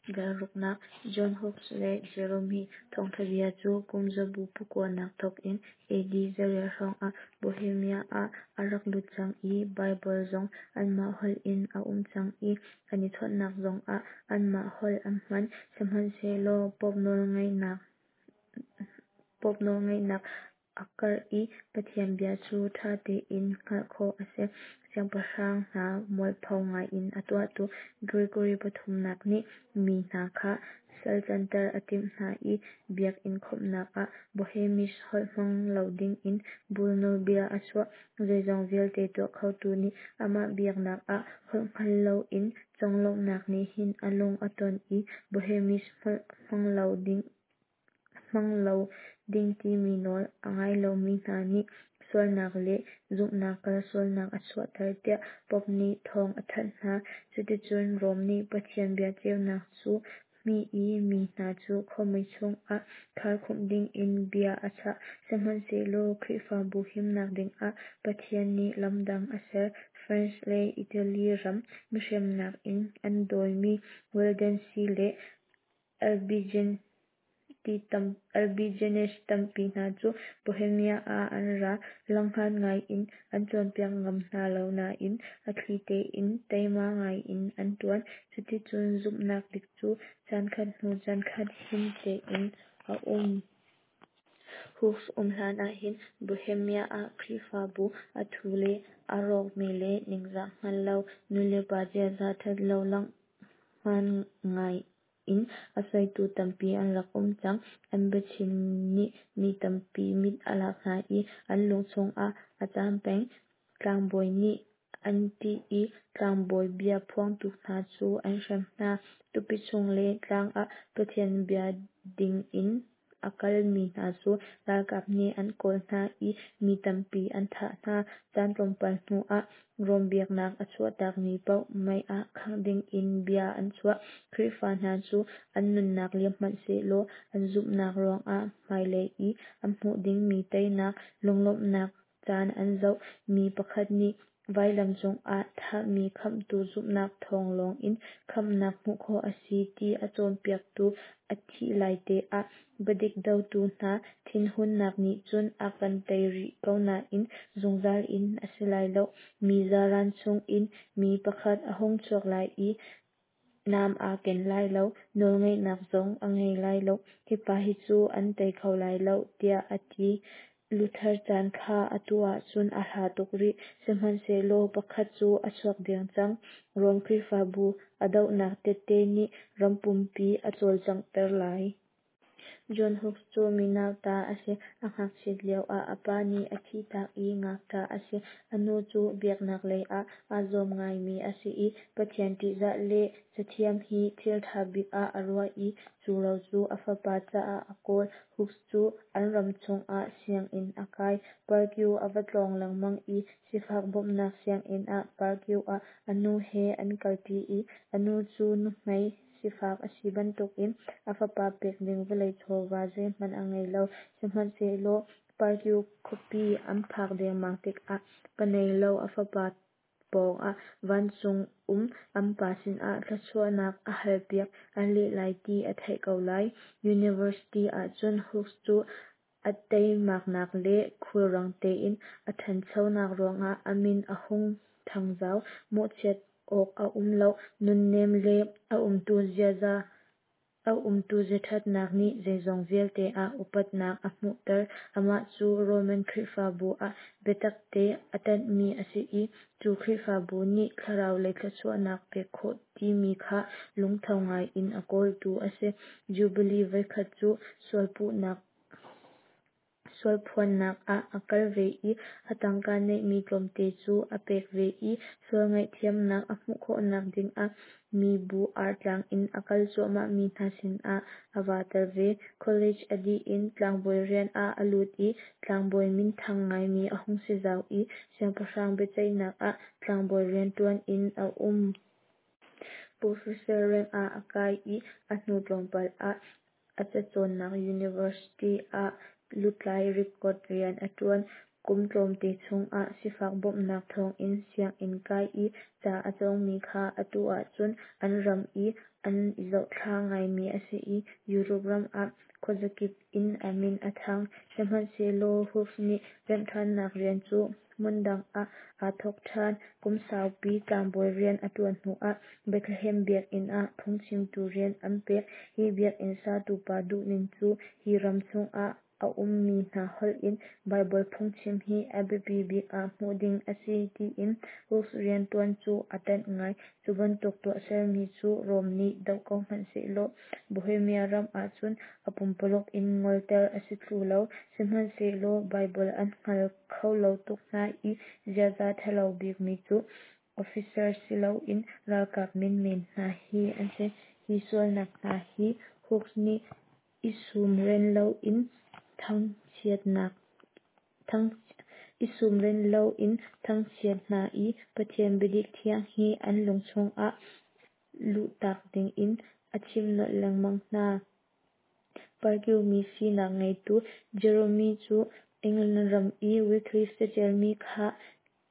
Dal ruknak John Hus le Jerome hi thawngṭha bia cu kum zabu pakuanak thawk in AD 200 hrawngah Bohemia ah a rak lut cang i Baibal zong anmah holh in a um cang i an i chawnhnak zongah anmah holh an hman. Sihmanhsehlaw Pope nawlngeihnak a karh i Pathian bia cu ṭha tein hngalh khawh a si. Siangpahrang hna mualpho ngaiin a tuahtu Gregory pathumnak nih mi hna kha salcanter a timh hna i biakinn khawmhnak ah Bohemish holh hmang lo dingin bull nawlbia a chuah. Zeizong vialte tuah khotu nih amah biaknak ah holh hngal loin conglawmhnak nih hin a lung a ton i Bohemish holh hmang lo ding timi nawl a ngai lomi hna nih sualnak le zumhnak kalsualnak a chuahter tiah Pope nih thawng a thanh hna. Cuticun Rom nih Pathian bia ceunak cu hmih i mi hna cu khuamui chungah kharkhumh dingin bia a chah. Sihmanhsehlaw Khrihfabu himnak dingah Pathian nih lam dang a ser. France le Italy ram mihremnak in an dawimi Waldensi le Albigenses tampi hna cu Bohemia ah an ra. Langhngan ngaiin an cawnpiak ngam hna lo nain a thli tein teima ngaiin an ṭuan. Cuticun zumhnak dik cu caankhat hnu caankhat him tein a um. Hus um hlan ahhin Bohemia ah Khrihfabu a thu le a rawkmi le ningzah hngal lo nulepa ziaza ṭhat lo langhngan ngai in a soitu tampi an rak um cang. An biachim nih mi tampi mit a lak hna i an lung chungah a caam peng. Tlangbawi nih an ṭih i tlangbawi bia phuangtu hna cu an hrem hna. Tupi chung le tlang ah Pathian bia dingin a kalmi hna cu ralkap nih an kawl hna i mi tampi an thah hna. Caan tlawmpal hnuah Rom biaknak a chuahtakmi paoh mei ah khangh dingin bia an chuah. Khrihfa hna cu an nunnak liam hmanh sehlaw an zumhnak ruangah hmailei i an hmuh dingmi teinak lunglawmhnak caan an zoh. Mi pakhat nih vailam cungah thahmi Khamhtu zumhnak thawng lawngin khamhnak hmuh khawh a si ti a cawnpiaktu a thih laite ah biadik dotu hna thinhunnak nih cun a kan tei rih ko nain zungzal in a si lai lo. Mi zaran chungin mi pakhat a hung chuak lai i nam aa ken lai lo, nawlngeihnak zong a ngei lai lo. Hi pa hi cu an tei kho lai lo, tiah a ti. Luther caan kha atu ahcun a hla tuk rih, sihmanhsehlaw pakhat cu a chuak deng cang. Rom Khrihfabu a dohnak tehte nih ram pumpi a cawlcanghter lai. John Hus cu mi nauta a si. A ngakchiat lioah a pa nih a thihtak i ngakṭah a si. A nu cu biaknak lei ah aa zuam ngaimi a si i Pathian ṭihzah le cathiam hi thil ṭha bik ah a ruah i cu ro cu a fapa caah a kawl. Hus cu an ram chungah sianginn a kai. Prague a va tlawng lengmang i sifak bawmhnak sianginn ah Prague ah a nu he an kalṭi i a nu cu nuhmei sifak a si bantukin a fapa pek ding vawlei chawva zeihmanh a ngei lo. Sihmanhsehlaw Prague khuapi an phak dengmang tikah pa nei lo a fapa pawngah vancung um an pa sinah thluachuahnak a halpiak an leh lai ti a theih ko lai. University ahcun Hus cu a teimaknak le khulrang tein a ṭhanchonak ruangah a min a hung thangzau. Mawhchiat awk a um lo. Nunnem le a umtu ziaṭhatnak nih zeizong vialte ah upatnak a hmuhter. Amah cu Roman Khrihfabu ah biatakte a ṭanhmi a si i cu Khrihfabu nih thlarau lei thluachuahnak pek khawh timi kha lungtho ngaiin a kawltu a si. Jubilee voikhat cu sualphuannak ah a kal ve i a tangka neihmi tlawmte cu a pek ve i sual ngaihthiamnak a hmuh khawhnak dingah mibu artlang in a kal cuahmahmi hna sinah a vaa tel ve. College a dih in tlangbawi rian ah a lut i tlangbawi minthang ngaimi a hung si zau i siangpahrang biaceihnak ah tlangbawi rianṭuan in a um. Professor reng ah a kai i a hnu tlawmpal ah a cacawnnak university ah lutlai record rian a ṭuan. Kum tlawmte chungah sifak bawmhnak thawngin sianginn kai i ca a cawngmi kha atu ahcun an ram i an i zohthla ngaimi a si i Europe ram ah khuazakip in a min a thang. Sihmanhsehlaw Hus nih remhṭhannak rian cu hmundang ah aa thawk ṭhan. Kum saupi tlangbawi rian a ṭuan hnuah Bethlehem biakinn ah phungchimtu rian an pek. Hi biakinn satu pa duhning cu hi ram chungah a ummi hna holh in Baibal phungchim hi a biapi bik ah hmuh ding a si tiin Hus rianṭuan cu a ṭanh ngai. Cu bantuk tuahsermi cu Rom nih doh ko hmanhsehlaw Bohemia ram ahcun a pumpuluk in ngolter a si thlu lo. Sihmanhsehlaw Baibal an hngal kho lo tuk hna i ziaza ṭhalo bikmi cu officer si loin ralkap menmen hna hi an si. Hi sualnak hna hi Hus nih i sumren loin thangchiat hna i Pathian biadik thiang hi an lung chungah luhtak dingin a chim nolh lengmang hna. Parku mi sinak ngeitu Jerome cu England ram i Wycliffe caṭialmi kha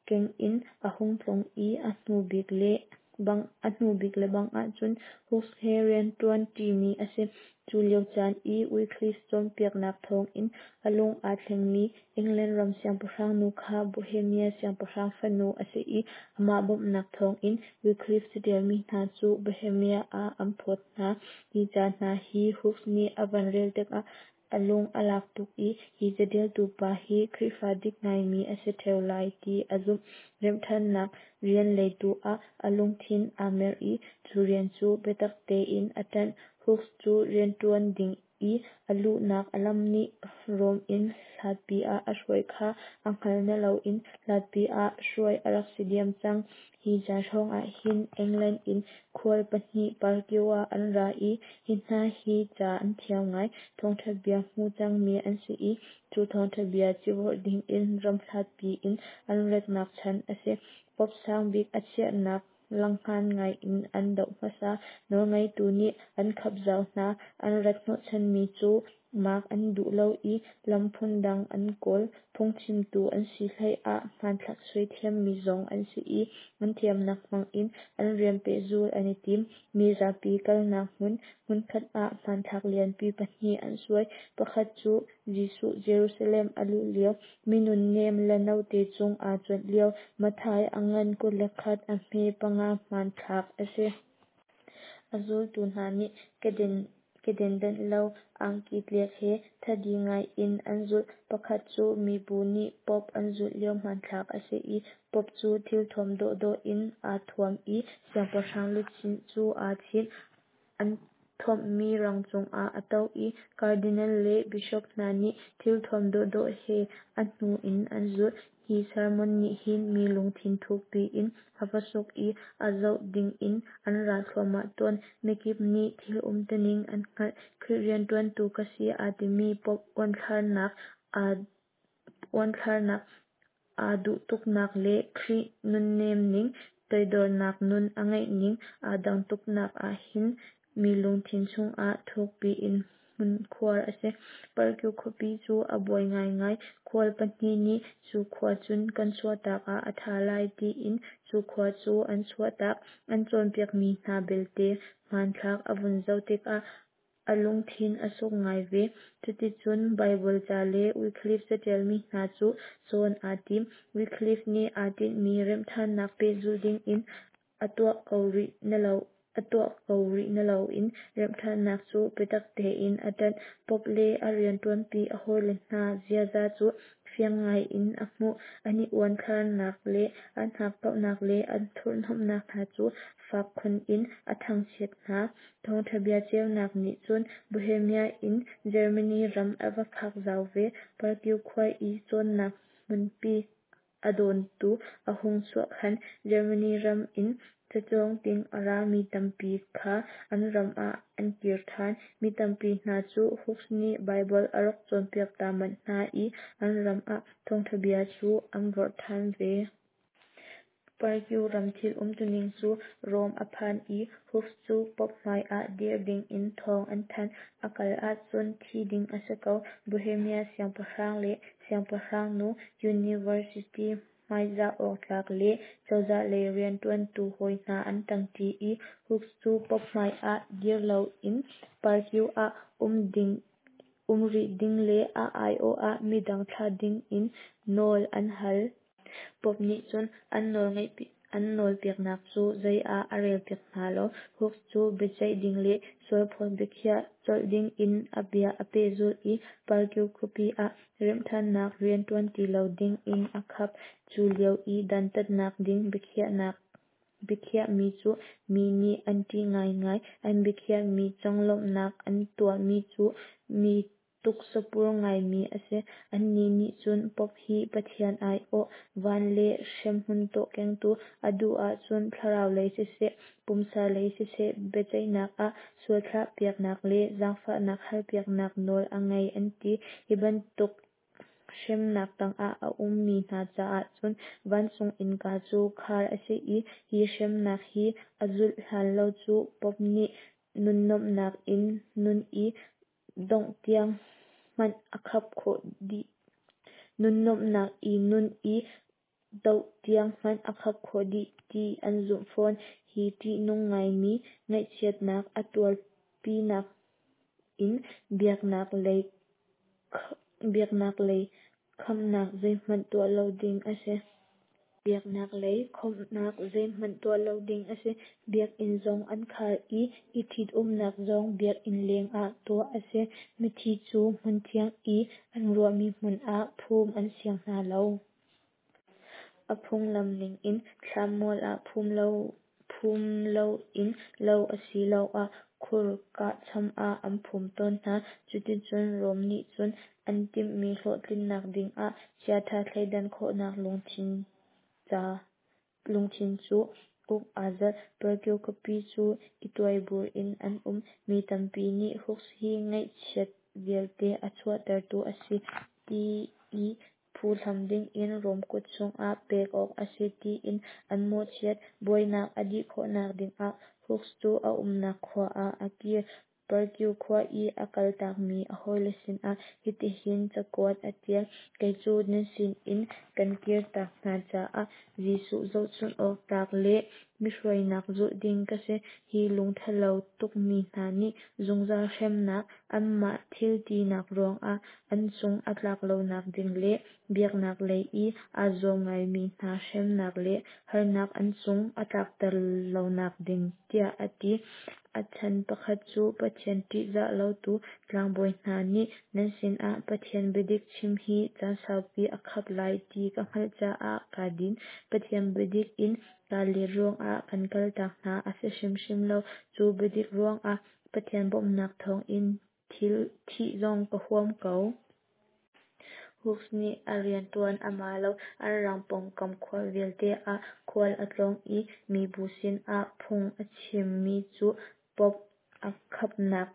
keng in a hung tlung i a hnu bik le bang ahcun Hus he rianṭuan ṭimi a si. Cu lio caan i Wycliffe cawnpiaknak thawngin a lung aa thlengmi England ram siangpahrang nu kha Bohemia siangpahrang fanu a si i amah bawmhnak thawngin Wycliffe caṭialmi hna cu Bohemia ah an phawt hna. Hi ca hna hi Hus nih a van rel tikah a lung a lak tuk i hi caṭialtu pa hi Khrihfa dik ngaimi a si ṭheo lai ti a zumh. Remhṭhannak rian leitu ah a lungthin aa mer i cu rian cu biatak tein a ṭanh. Hus cu rianṭuan ding i a luhnak a lam nih Rom in hlatpi ah a hruai kha a hngal na loin hlatpi ah hruai a rak si diam cang. Hi caan hrawngah hin England in khual pahnih Parkio ah an ra i hi hna hi ca an thiam ngai. Thawngṭha bia hmu cangmi an si i cu thawngṭha bia civorh dingin ram hlatpi in an ratnak chan a si. Pope sang bik a chiahnak langhngan ngai in an doh hmasa. Nawlngeitu nih an khap zau hna. An rat hnawhchanmi cu maak an duh lo i lam phundang an kawl. Phungchimtu an si hlei ah hmanthlak suai thiammi zong an si i an thiamnak hmangin an rian pehzul an i tim. Mi zapi kalnak hmun hmunkhat ah hmanthlak lianpi pahnih an suai. Pakhat cu Jesuh Jerusalem a luh lio, mi nunnem le note cung aa cuanh lio, Matthai a ngan 21 a hme 5 hmanthlak a si. A zultu hna nih keden danh lo angki tlek he thadi ngai in an zulh. Pakhat cu mibu nih Pope an zulh lio hmanthlak a si i Pope cu thilthuam dawhdawh in aa thuam i siangpahrang luchin cu aa chinh. An thuamhmi rang cungah a to i cardinal le bishop hna nih thilthuam dawhdawh he a hnu in an zulh. Hi sermon nih hin mi lungthin thukpi in a va suk i a zoh dingin an ra thluahmah tawn. Mikip nih thil umtuning an hngalh. Khrih rianṭuantu ka si aa timi Pope uanthlarnak aa duh tuknak le Khrih nunnem ning, toidornak nun a ngeihning aa dang tuknak ah hin mi lungthin chungah thukpi in hmunkhuar a si. Parkyu khuapi cu a buai ngaingai. Khual pahnih nih cu khua cun kan chuahtak ah a ṭha lai tiin cu khua cu an chuahtak. An cawnpiakmi hna belte hmanthlak a vun zoh tikah a lungthin a suk ngai ve. Cuticun Baibal ca le Wycliffe caṭialmi hna cu cawn aa tim. Wycliffe nih aa tinhmi remhṭhannak pehzulh dingin a tuah ko rih na loin remhṭhannak cu biatak tein a ṭanh. Pope le a rianṭuanpi a hawile hna ziaza cu fiang ngai in a hmuh. An i uanthlarnak le an hakkauhnak le an thurhhnawmhnak hna cu fak khun in a thangchiat hna. Thawngṭha bia ceunak nih cun Bohemia in Germany ram a va phak zau ve. Parkyu khua i cawnnak hmunpi a dawntu a hung chuah khan Germany ram in cacawng ding a rami tampi kha an ram ah an kir ṭhan. Mi tampi hna cu Hus nih Baibal a rak cawnpiak ta manh hna i an ram ah thawngṭha bia cu an vorh ṭhan ve. Prague ram thil umtuning cu Rome a phan i Hus cu Pope hmai ah dir dingin thawng an thanh. A kal ahcun thi ding a si ko. Bohemia siangpahrang le siangpahrang nu, University hmaizah awk tlak le cozah lei rianṭuantu hawi hna an ṭangṭi i Hus cu Pope hmai ah dir loin Prague ah um rih ding le a aiawh ah midang thlah dingin nawl an hal. Pope nih cun an nawlpiaknak cu zei ah a relpiak hna lo. Hus cu biaceih ding le sualphawt biakhiah colh dingin a bia a pehzulh i Prague khuapi ah remhṭhannak rian ṭuan ti lo dingin a khap. Cu lio i dantatnak ding biakhiahmi cu mi nih an ṭih ngaingai. An biakhiahmi conglawmhnak an tuahmi cu mi tuksapur ngaimi a si. Annih nih cun Pope hi Pathian aiawh, van le hremhmun tawh kengtu, a duh ahcun thlarau lei siseh, pumsa lei siseh biaceihnak ah sualthlah piaknak le zaangfahnak halpiaknak nawl a ngei an ti. Hi bantuk hremnak tangah a ummi hna caah cun vancung innka cu khar a si i hi hremnak hi a zulh hlan lo cu Pope nih nunnuamhnak in nun i dongh tiang hmanh a khap khawh dih. Nunnuamhnak i nun i doh tiang hmanh a khap khawh dih ti an zumh fawn. Hi ṭihnung ngaimi ngaihchiatnak a tuarpinak in biaknak lei khamnak zeihmanh tuah lo ding a si. Biaknak lei khawmhnak zeihmanh tuah lo ding a si. Biakinn zong an khar i, i ṭhitumnak zong biakinn lengah tuah a si. Mithi cu hmunthiang i an ruahmi hmun ah phum an siang hna lo. A phunglam ningin thlanmual ah phum loin lo asiloah khur kahcham ah an phum tawn hna. Cuticun Rome nih cun an timhmi hlawhtlinnak dingah chiaṭha thleidan khawhnak lungthin cu uk aa zalh. Prague khuapi cu i tuaibur in an um. Mi tampi nih Hus hi ngaihchiat vialte a chuahtertu a si ti i phuhlam dingin Rome kut chungah pek awk a si tiin an mawhchiat. Buainak a dih khawhnak dingah Hus cu a umnak khua ah a kir. Prague khua i a kaltakmi a hawile sinah hitihin cakuat a ṭial: Kei cu nan sinin kan kirtak hna caah Jesuh zohchunh awk tlak le mi hruainak zulh ding ka si. Hi lungṭhalo tukmi hna nih zungzal hremnak anmah thiltinak ruangah an cung a tlak lonak ding le biaknak lei i aa zuam ngaimi hna hremnak le harnak an cung a tlakter lonak ding tiah a ti. A chan pakhat cu Pathian ṭihzah lotu tlangbawi hna nih nan sinah Pathian biadik chim hi caan saupi a khap lai ti ka hngalh caah kaa din. Pathian biadik in kaa let ruangah kan kaltak hna a si hrimhrim lo. Cu biadik ruangah Pathian bawmhnak thawngin thih zong ka huam ko. Hus nih a rianṭuan a ma lo. An ram pawngkam khua vialte ah khual a tlawng i mibu sinah phung a chimmi cu Pope a khapnak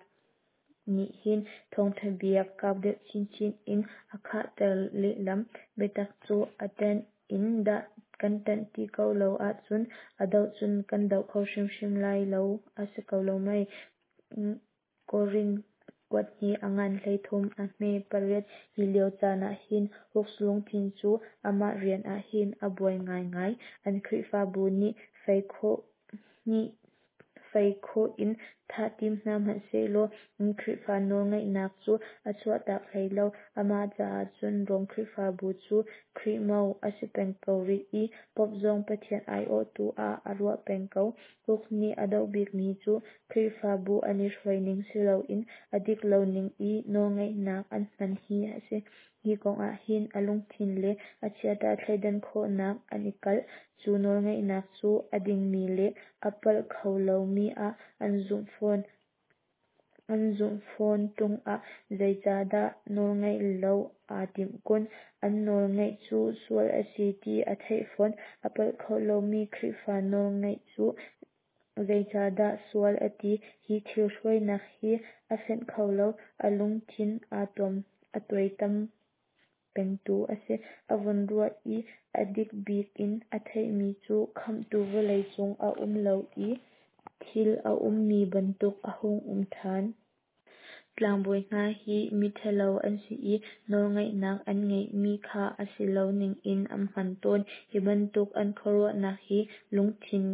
nih hin thawngṭha bia kau deuh chinchin in a khahter lehlam. Biatak cu a ṭanh in kan ṭanh ti ko lo ahcun a doh cun kan doh kho hrimhrim lai lo a si ko lo mei? Korin kuat hnih a ngan 13 a hme 8. Hi lio caan ah hin Hus lungthin cu amah rian ah hin a buai ngaingai. An Khrihfabu nih fei khawh in thah tim hna hmanhsehlaw an Khrihfa nawlngeihnak cu a chuahtak hlei lo. Amah caah cun Rom Khrihfabu cu Khrih mo a si peng ko rih i Pope zong Pathian aiawhtu ah a ruah peng ko. Hus nih a doh bikmi cu Khrihfabu an i hruaining siloin a dik lo ning i nawlngeihnak an hman hi a si. Hi kongah hin a lungthin le a chiaṭha thleidan khawhnak an i kalh. Cu nawlngeihnak cu a dingmi le a palh kho lomi ah an zumh fawn. An zumh fawn ṭung ah zeicahdah nawlngaih lo aa timh kun? An nawlngaih cu sual a si ti a theih fawn. A palh kho lomi Khrihfa nawlngaih cu zeicahdah sual a ti? Hi thil hruainak hi a fenh kho lo. A lungthin aa tuaitam pengtu a si. A vun ruah i a dik bik in a theihmi cu Khamhtu vawlei cung a um lo i thil a ummi bantuk a hung um ṭhan. Tlangbawi hna hi mi ṭhalo an si i nawlngeihnak an ngeihmi kha a si lo ning in an hman tawn. Hi bantuk an khuaruahnak hi lungthin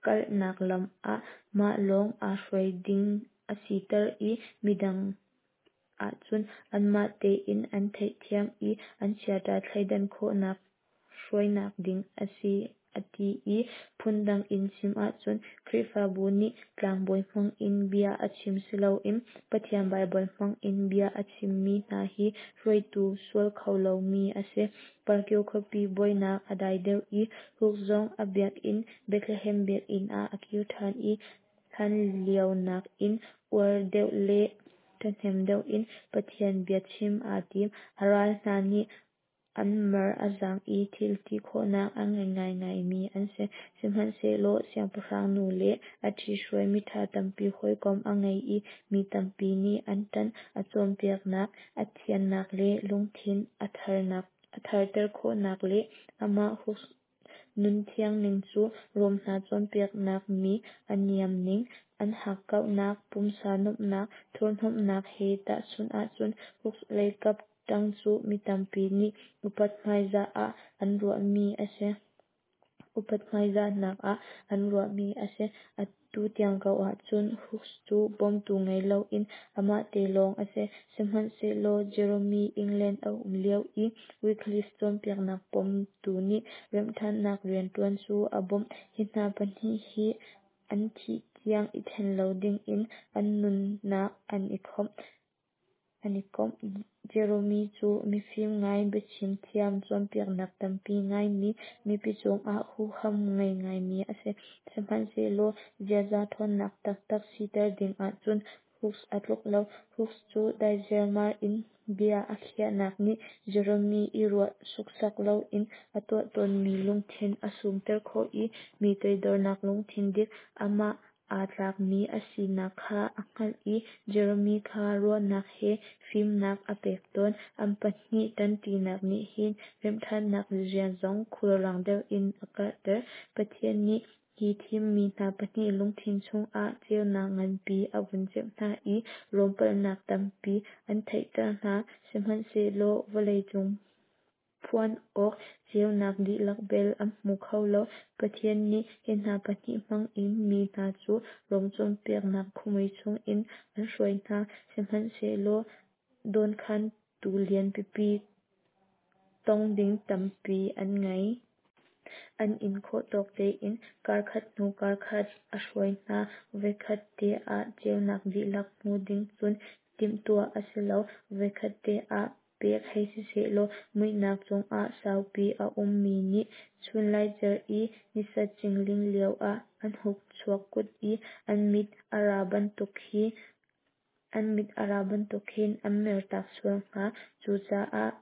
kalnak lam ah mah lawng aa hruai ding a siter i midang ahcun anmah tein an theihthiam i an chiaṭha thleidan khawhnak hruainak ding a si a ti i phundang in chim ahcun Khrihfabu nih tlangbawi hmang in bia a chim siloin Pathian Baibal hmang in bia a chimmi hna hi hruaitu sual kho lomi a si. Prague khuapi buainak a dai deuh i Hus zong a biakinn Bethlehem biakinn ah a kir ṭhan i hlan lio nakin uar deuh le ṭhahnem deuh in Pathian bia chim aa tim. A ral hna nih an mar a zaang i thil ti khawhnak a ngei ngaingaimi an si. Sihmanhsehlaw siangpahrang nu le a ṭhithruai miṭha tampi hawikom a ngei i mi tampi nih an ṭanh. A cawnpiaknak a thiannak le lungthin a tharter khawhnak le amah Hus nun thiang ning cu Rom hna cawnpiaknak mi a niam ning, an hakkauhnak, pumsa nuamhnak, thurhhnawmhnak he tahchunh ahcun Hus leikap ṭang cu mi tampi nih upat hmaizah ah an ruahmi a si. Upat hmaizahnak ah an ruahmi a si. Atu tiang ko ahcun Hus cu bawmtu ngei loin amah te lawng a si. Sihmanhsehlaw Jerome England a um lio i Wycliffe cawnpiaknak pomtu nih remhṭhannak rianṭuan cu a bawmh. Hi hna pahnih hi an thih tiang i ṭhen lo dingin an nunnak an i khawmh. An i komh. Jerome cu mifim ngai, biachim thiam, cawnpiaknak tampi ngaimi, mipi cungah huham ngei ngaimi a si. Sihmanhsehlaw ziaza ṭhawnnak taktak siter ding ahcun Hus a tluk lo. Hus cu daiziarmar in bia a khiahnak nih Jerome i ruah suksak loin a tuah tawnmi lungthin a sumter khawh i mi toidornak lungthin dik, amah aa tlakmi a sinak kha a hngalh i Jerome kha ruahnak he fimnak a pek tawn. An pahnih ṭanṭinak nih hin remhṭhannak rian zong khulrang deuh in a karhter. Pathian nih hi thimmi hna pahnih lungthin chungah ceunak nganpi a vun ceuh hna i Rom palhnak tampi an theihter hna. Sihmanhsehlaw vawleicung phuan awk ceunak dihlak bel an hmu kho lo. Pathian nih hi hna pahnih hmang in mi hna cu Rom cawnpiaknak khuamui chungin an hruai hna. Sihmanhsehlaw dawnkhantu lian pipi tong ding tampi an ngei. An in khawh tawk tein karkhat hnu karkhat a hruai hna. Voikhat te ah ceunak dihlak hmu ding cun timhtuah a si lo. Voikhat te ah pek hei si sehlaw muihnak chungah saupi a ummi nih chunlaicer i nisat cingling lioah an hung chuak kut i an mit a ra bantuk hi an mit a ra bantuk khin an mertak sual hnga. Cucaah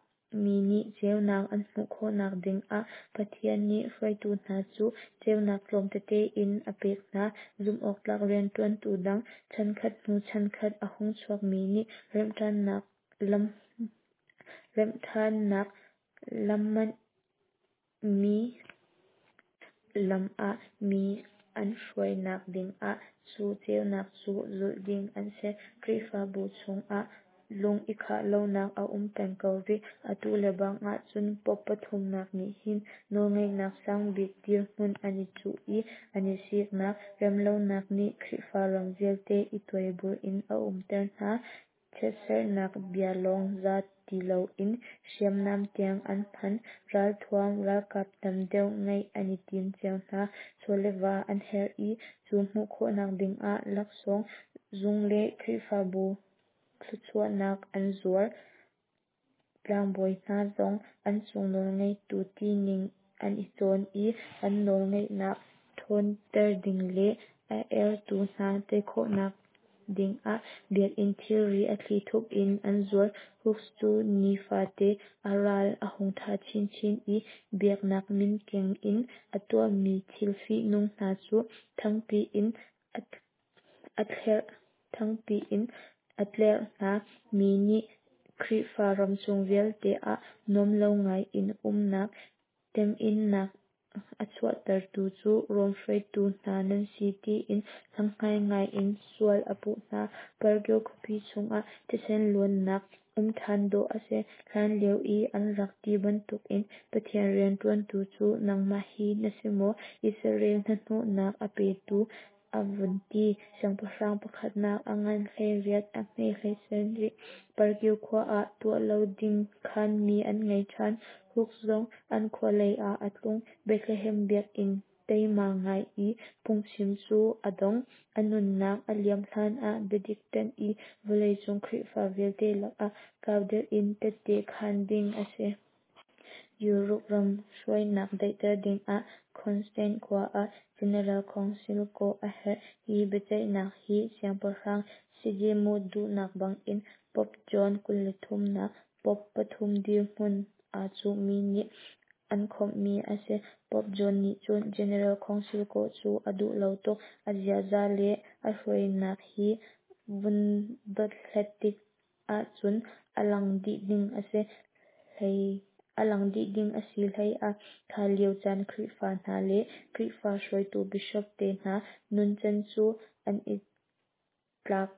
mi nih ceunak an hmuh khawhnak dingah Pathian nih hruaitu hna cu ceunak tlawm tete in a pek hna. Zumhawktlak rianṭuantu dang chankhat hnu chankhat a hung chuakmi nih remhṭhannak lam remhṭhannak lam mi lam ah mi an hruainak dingah cu ceunak cu zulh ding an si. Khrihfabu chungah lung i khah lonak a um peng ko rih. Atu lebang ahcun Pope pathumnak nih hin nawlngeihnak sangbik dirhmun an i cuh i an i siknak remlonak nih Khrihfa ram vialte i tuaibur in a umter hna. Chiatserhnak bia lawng za ti loin hriamnam tiang an hman. Ralthuam, ralkap tam deuh ngeih an i tim cio hna. Chaw le va an herh i cu hmuh khawhnak dingah laksawng, zung le Khrihfabu thluachuahnak an zuar. Tlangbawi hna zong an cung nawlngeitu tining an i cawn i an nawlngeihnak ṭhawnter ding le a ertu hna tei khawhnak dingah biakinn thilri a thlithup in an zuar. Hus cu nifate a ral a hung ṭha chinchin i biaknak min keng in a tuahmi thil fihnung hna cu thangpi in a tlerh hna. Mi nih Khrihfa ramchung vialte ah nuam lo ngai in umnak, temhinnak a chuahtertu cu Rom hruaitu hna nan si tiin langhngan ngai in sual a puh hna. Prague khuapi chungah thisen luannak um ṭhan dawh a si. Hlan lio i an rak ti bantukin Pathian rianṭuantu cu nangmah hi na si maw? Israel hnahnawhnak a petu a vun ti. Siangpahrang pakhatnak a ngan 18 a hme 17. Prague khua ah tuah lo ding khanmi an ngei ṭhan. Hus zong an khua lei ah a tlung. Bethlehem biakinn teima ngai i phungchim cu a dong. A nunnak a liam hlan ah biadik ṭanh i vawleicung Khrihfa vialte lakah kau deuh in tette khan ding a si. Europe ram hruainak daihter dingah Constance khua ah General Council kawh a herh. Hi biaceihnak hi Siangpahrang Sigismund duhnak bangin Pope John 23 nak, Pope pathum dirhmun aa cuhmi nih an khawmhmi a si. Pope John nih cun General Council kawh cu a duh lo tuk. A ziaza le a hruainak hi vun dothlat tik ahcun a lang dih ding a si. A lang dih ding a si hlei ah kha lio caan Khrihfa hna le Khrihfa hruaitu Bishop te hna nuncan cu an i tlak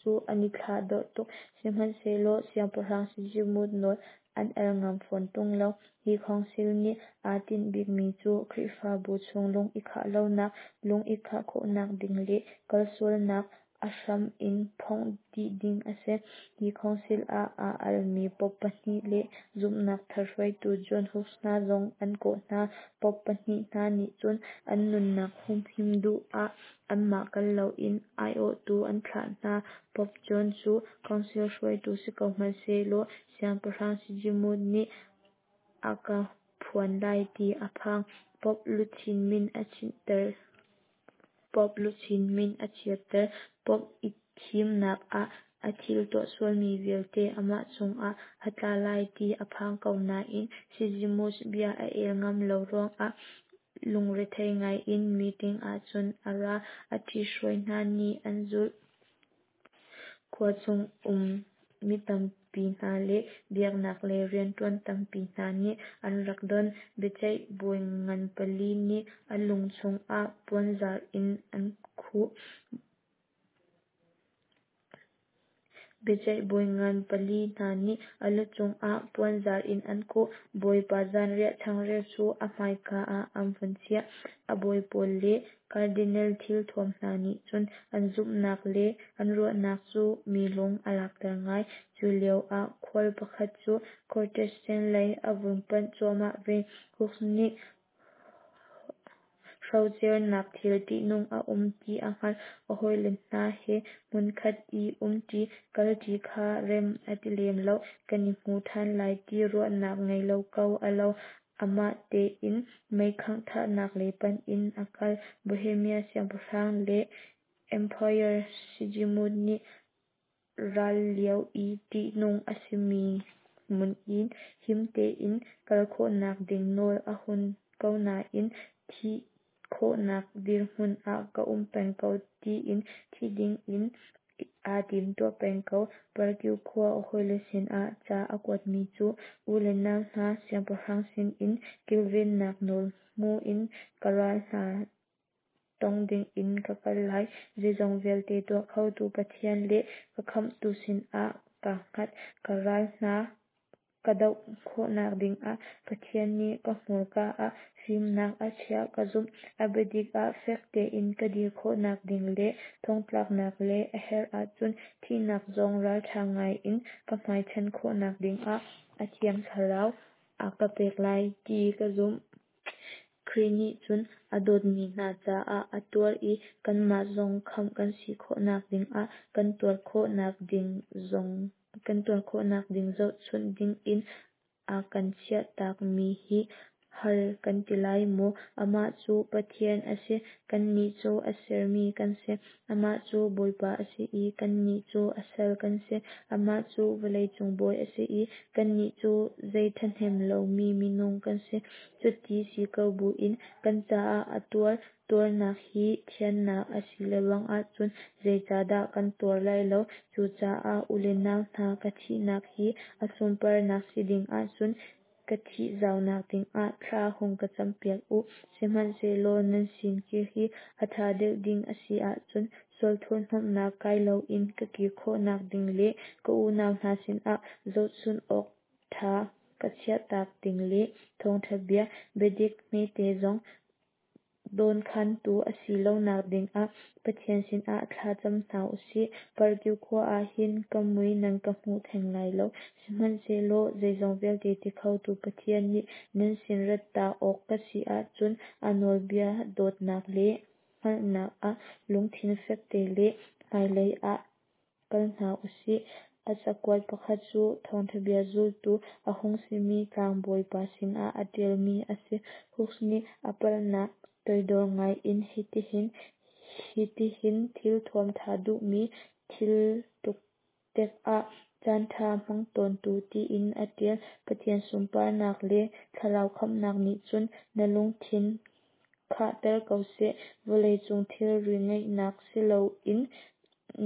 cu an i thlahdorh tuk. Sihmanhsehlaw Siangpahrang Sigismund nawl an al ngam fawn ṭung lo. Hi council nih aa tinh bikmi cu Khrihfabu chung lung i khah lonak, lung i khah khawhnak ding le kalsualnak a hram in phomh dih ding a si. Hi council ah aa almi Pope pahnih le zumhnak thar hruaitu John Hus hna zong an kawh hna. Pope pahnih hna nih cun an nunnak humhim duh ah anmah kal loin aiawhtu an thlah hna. Pope John cu council hruaitu si ko hmanhsehlaw Siangpahrang Sigismund nih a ka phuan lai ti a phang. Pope luchin min a chinhter. Pope luchin min a chiatter. Pope i thimnak ah a thil tuah sualmi vialte amah cungah a tla lai ti a phang ko nain Sigismund bia a el ngam lo ruangah lungrethei ngaiin meeting ahcun a ra. A ṭhithruai hna nih an zulh. Khua chung um mi tampi hna le biaknak lei rianṭuan tampi hna nih an rak don. Biaceih bawi ngan pali nih a lu cungah puanzar in an khuh. Biaceih bawi ngan pali hna nih a lu cungah puanzar in an khuh. Bawipa zanriah changreu cu a hmaika ah an vun chiah. A bawi pawl le Cardinal thilthuam hna nih cun an zumhnak le an ruahnak cu mi lung a lakter ngai. Cu lio ah khual pakhat cu Protestant lei a vun panh cuahmah ve. Hus nih hrocernak thil ṭihnung a um ti a hngalh. A hawile hna he hmunkhat i umṭi, kalṭi kha rem a ti lem lo. Kan i hmu ṭhan lai ti ruahnak ngei lo ko a lo. Amah tein meikhangh thahnak lei panh in a kal. Bohemia siangpahrang le Emperor Sigismund nih ral lio i ṭihnung a simi hmun in him tein kal khawhnak ding nawl a hun ko nain thih khawhnak dirhmun ah ka um peng ko tiin thi ding in aa timtuah peng ko. Prague khua a hawile sinah ca a kuatmi cu u le nau hna, siangpahrang sinin kilvennak nawl hmu in ka ral hna tong dingin ka kal lai. Zeizong vialte tuah khotu Pathian le ka khamhtu sinah kaa hngat. Ka ral hna ka doh khawhnak dingah Pathian nih ka hmurka ah fimnak a chiah ka zumh. A biadik ah fek tein ka dir khawhnak ding le thongtlaknak le a herh ahcun thihnak zong ralṭha ngai in ka hmaichan khawhnak dingah a Thiang Thlarau a ka pek lai ti ka zumh. Khrih nih cun a dawtmi hna caah a tuar i kanmah zong khamh kan si khawhnak dingah kan tuar khawhnak ding zong kan tuar khawhnak ding zohchunh dingin a kan chiahtakmi hi. hal kan ti lai maw? Amah cu Pathian a si, kannih cu a sermi kan si. Amah cu Bawipa a si i kannih cu a sal kan si. Amah cu vawleicung bawi a si i kannih cu zei ṭhahnem lomi minung kan si. Cuti si ko buin kan caah a tuar. Tuarnak hi thiannak a si lengmang ahcun zeicahdah kan tuar lai lo? Cucaah u le nau hna, ka thihnak hi a sunparnak si ding ahcun ka thih zaunak dingah thla hung ka campiak u. Sihmanhsehlaw nan sin kir hi a ṭha deuh ding a si ahcun sual thurhhnawmhnak kai loin ka kir khawhnak ding le ka unau hna sinah zohchunh awk ṭha ka chiahtak ding le thawngṭha bia, biadik hmete zong dawnkhantu a si lonak dingah Pathian sinah thla cam hna u sih. Parkyu khua ah hin ka mui nan ka hmu theng lai lo. Sihmanhsehlaw zeizong vialte ti khotu Pathian nih nan sin rat ta awk ka si ahcun a nawlbia dawtnak le hngalhnak ah lungthin fekte le hmailei ah kal hna u sih. A cakuat pakhat cu thawngṭha bia zultu a hung simi tlangbawi pa sinah a ṭialmi a si. Hus nih a palhnak toidor ngai in hitihin thil thuam ṭha duhmi, thil ṭuktek ah caanṭha hmang tawntu tiin a ṭial. Pathian sunparnak le thlarau khamhnak nih cun na lungthin khahter ko seh. Vawleicung thilri ngeihnak siloin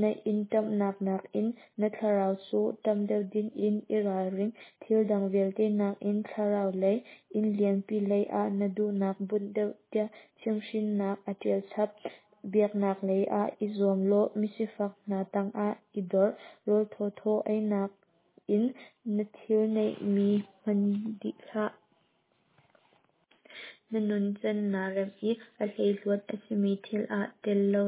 na inn ṭamhnak nakin na thlarau cu ṭamh deuh dingin i ralring. Thil dang vialte nakin thlarau lei inn lianpi lei ah na duhnak bunh deuh tiah chimhhrinnak a ṭial chap. Biaknak lei ah i zuam law misifak hna tangah i dor. Rawl thawthaw einak in na thil neihmi hman dih hlah. Na nuncan naa remh i a hleihluat a simi thil ah tel lo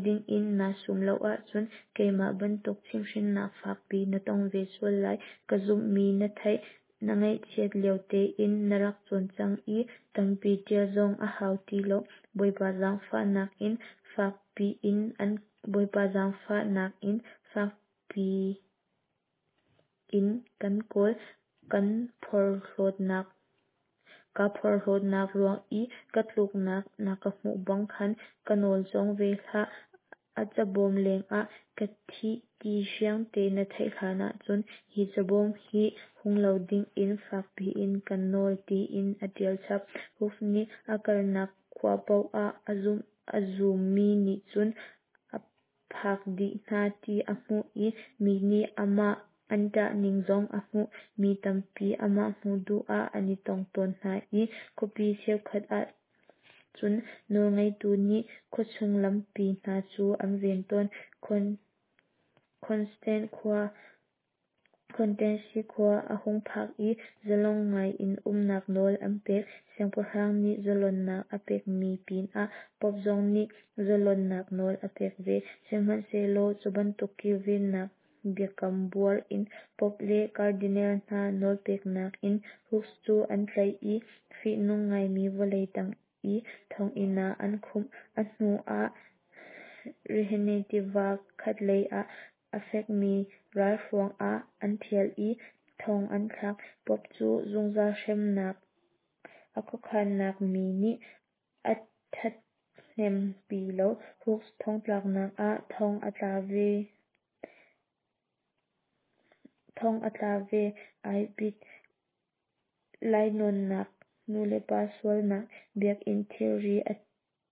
dingin naa sum lo ahcun keimah bantuk chimhhrinnak fakpi na tong ve sual lai. Ka zumhmi na theih, na ngakchiat lio tein na rak cawn cang i tampi ṭial zong a hau ti lo. Bawipa zaangfahnak in fakpi in kan kawl. Kaa porhlawtnak ruang i ka tluknak na ka hmuh bang khan ka nawl cawng ve hlah. A cabawm lengah ka thih ti fiangte na theih hlanah cun hi cabawm hi hung lo dingin fakpi in kan nawl tiin a ṭial chap. Hus nih a kalnak khua paoh ah a zummi nih cun a phak dih hna ti a hmuh i mi nih amah an ṭah ning zong a hmuh. Mi tampi amah hmuh duh ah an i tong tawn hna i khuapi cheukhat ah cun nawlngeitu nih khuachung lampi hna cu an ven tawn. Constance khua a hung phak i zalong ngai in umnak nawl an pek. Siangpahrang nih zalonnak a pekmi pinah Pope zong nih zalonnak nawl a pek ve. Sihmanhsehlaw cu bantuk kilvennak biakam buar in Pope le Cardinal hna nawlpeknak in Hus cu an tlaih i fihnung ngaimi vawlei tang i thonginn ah an khumh. A hnu ah Rhine tiva khatlei ah a fekmi ralhruang ah an ṭhial i thong an thlak. Pope cu zungzal hremnak a khuakhannak mi nih a ṭhathnempi lo. Hus thongtlaknak ah thong a tla ve ai bit. Lainawnnak, nulepa sualnak, biakinn thilri a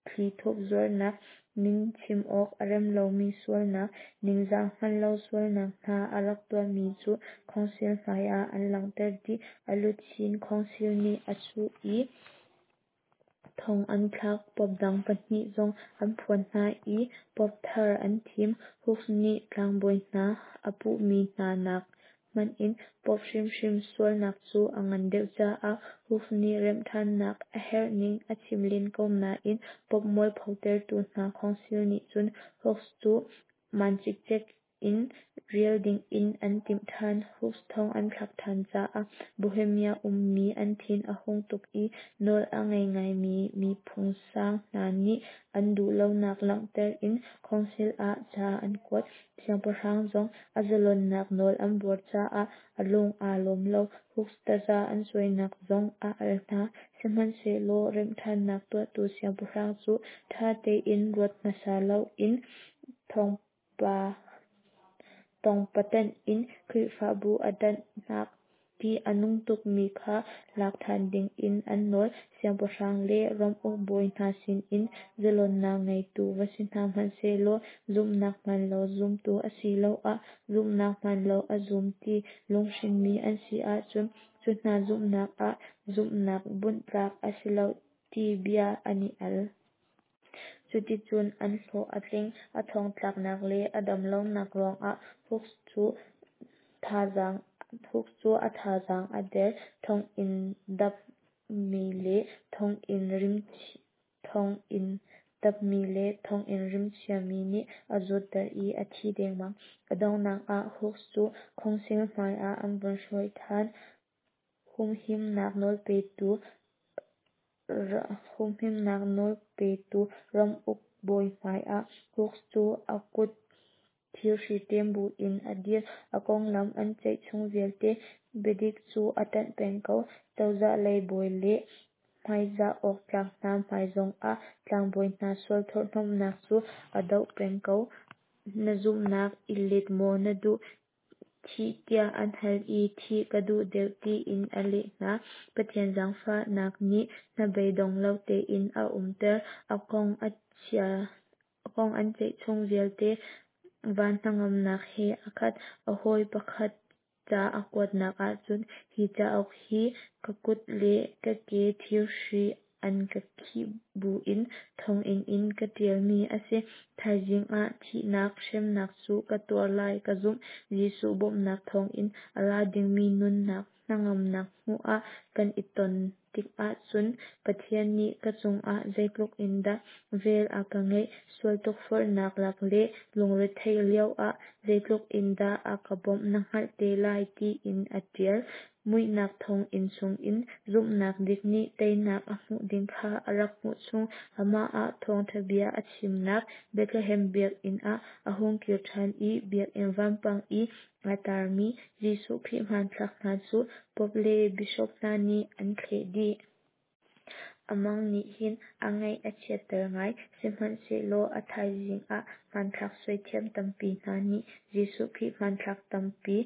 thlithup zuarnak, min chim awk a rem lomi sualnak, ningzah hngal lo sualnak hna a rak tuahmi cu khawngsil hmaiah an langhter dih. A luchin khawngsil nih a chuh i thong an thlak. Pope dang pahnih zong an phuan hna i pope thar an thim. Hus nih tlangbawi hna a puhmi hna nak hmanh in Pope hrimhrim sualnak cu a ngan deuh caah Hus nih remhṭhannak a herhning a chim len ko nain Pope mualphotertu hna khawngsil nih cun Hus cu maan cikcek In rial dingin an timh ṭhan. Hus thong an thlak ṭhan caah Bohemia ummi an thin a hung tuk i nawl a ngei ngaimi miphung sang hna nih an duhlonak langhter in Council ah ca an kuat. Siangpahrang zong a zalonnak nawl an buar caah a lung aa lawm lo. Hus taza an cuainak zong a al hna. Sihmanhsehlaw remhṭhannak tuahtu siangpahrang cu ṭha tein ruat hmasa loin tawngpatanh in Khrihfabu a danhnak ṭih a nung tukmi kha lak ṭhan dingin an nawl. Siangpahrang le ramuk bawi hna sinin zalonnak ngeitu va si hna hmanhsehlaw zumhnak hmanlo zumtu asiloah zumhnak hmanlo a zum ti lunghrinhmi an si ahcun cu hna zumhnak ah zumhnak bunh tlak a si lo ti bia an i al. Cuticun an hlawh a tling. A thongtlaknak le a damlonak ruangah Hus cu a thazaang a der. Thonginn dapmi le thonginn rimchia mi nih a zawtter i a thi dengmang. A donghnak ah Hus cu Khawngsil hmai ah an vun hruai ṭhan. Humhimnak nawlpetu ramuk bawi hmai ah Hus cu a kut thirhri ṭem buin a dir. A konglam an ceih chung vialte biadik cu a ṭanh peng ko. Cozah lei bawi le hmaizah awk tlak hna hmai zongah tlangbawi hna sual thurhhnawmhnak cu a doh peng ko. Na zumhnak i let maw na duh, thih tiah an hal i thih ka duh deuh tiin a leh hna. Pathian zaangfahnak nih hnabeidong lo tein a umter. A kong an ceih chung vialte van hnangamnak he a khat. A hawi pakhat ca a kuatnak ahcun hi cauk hi ka kut le ka ke thirhri an ka khih buin thonginn in ka ṭialmi a si. Thaizing ah thihnak hremnak cu ka tuar lai ka zumh. Jesuh bawmhnak thawngin a ra dingmi nunnak hnangamnak hmuh ah kan i ton tikah cun Pathian nih ka cungah zeitluk in dah vel a ka ngeih, sual tukforhnak lak le lungretheih lioah zeitluk in dah a ka bawmh na hngalh te lai tiin a ṭial. Muihnak thonginn chungin zumhnak dik nih teinak a hmuh ding kha a rak hmuh chung. Amah ah thawngṭha bia a chimnak Bethlehem biakinn ah a hung kir ṭhan i biakinn vampang i aa tarmi Jesuh Khrih hmanthlak hna cu Pope le Bishop hna nih an thleh dih. A mang nih hin a ngaih a chiatter ngai. Sihmanhsehlaw a thaizing ah hmanthlak suaithiam tampi hna nih Jesuh Khrih hmanthlak tampi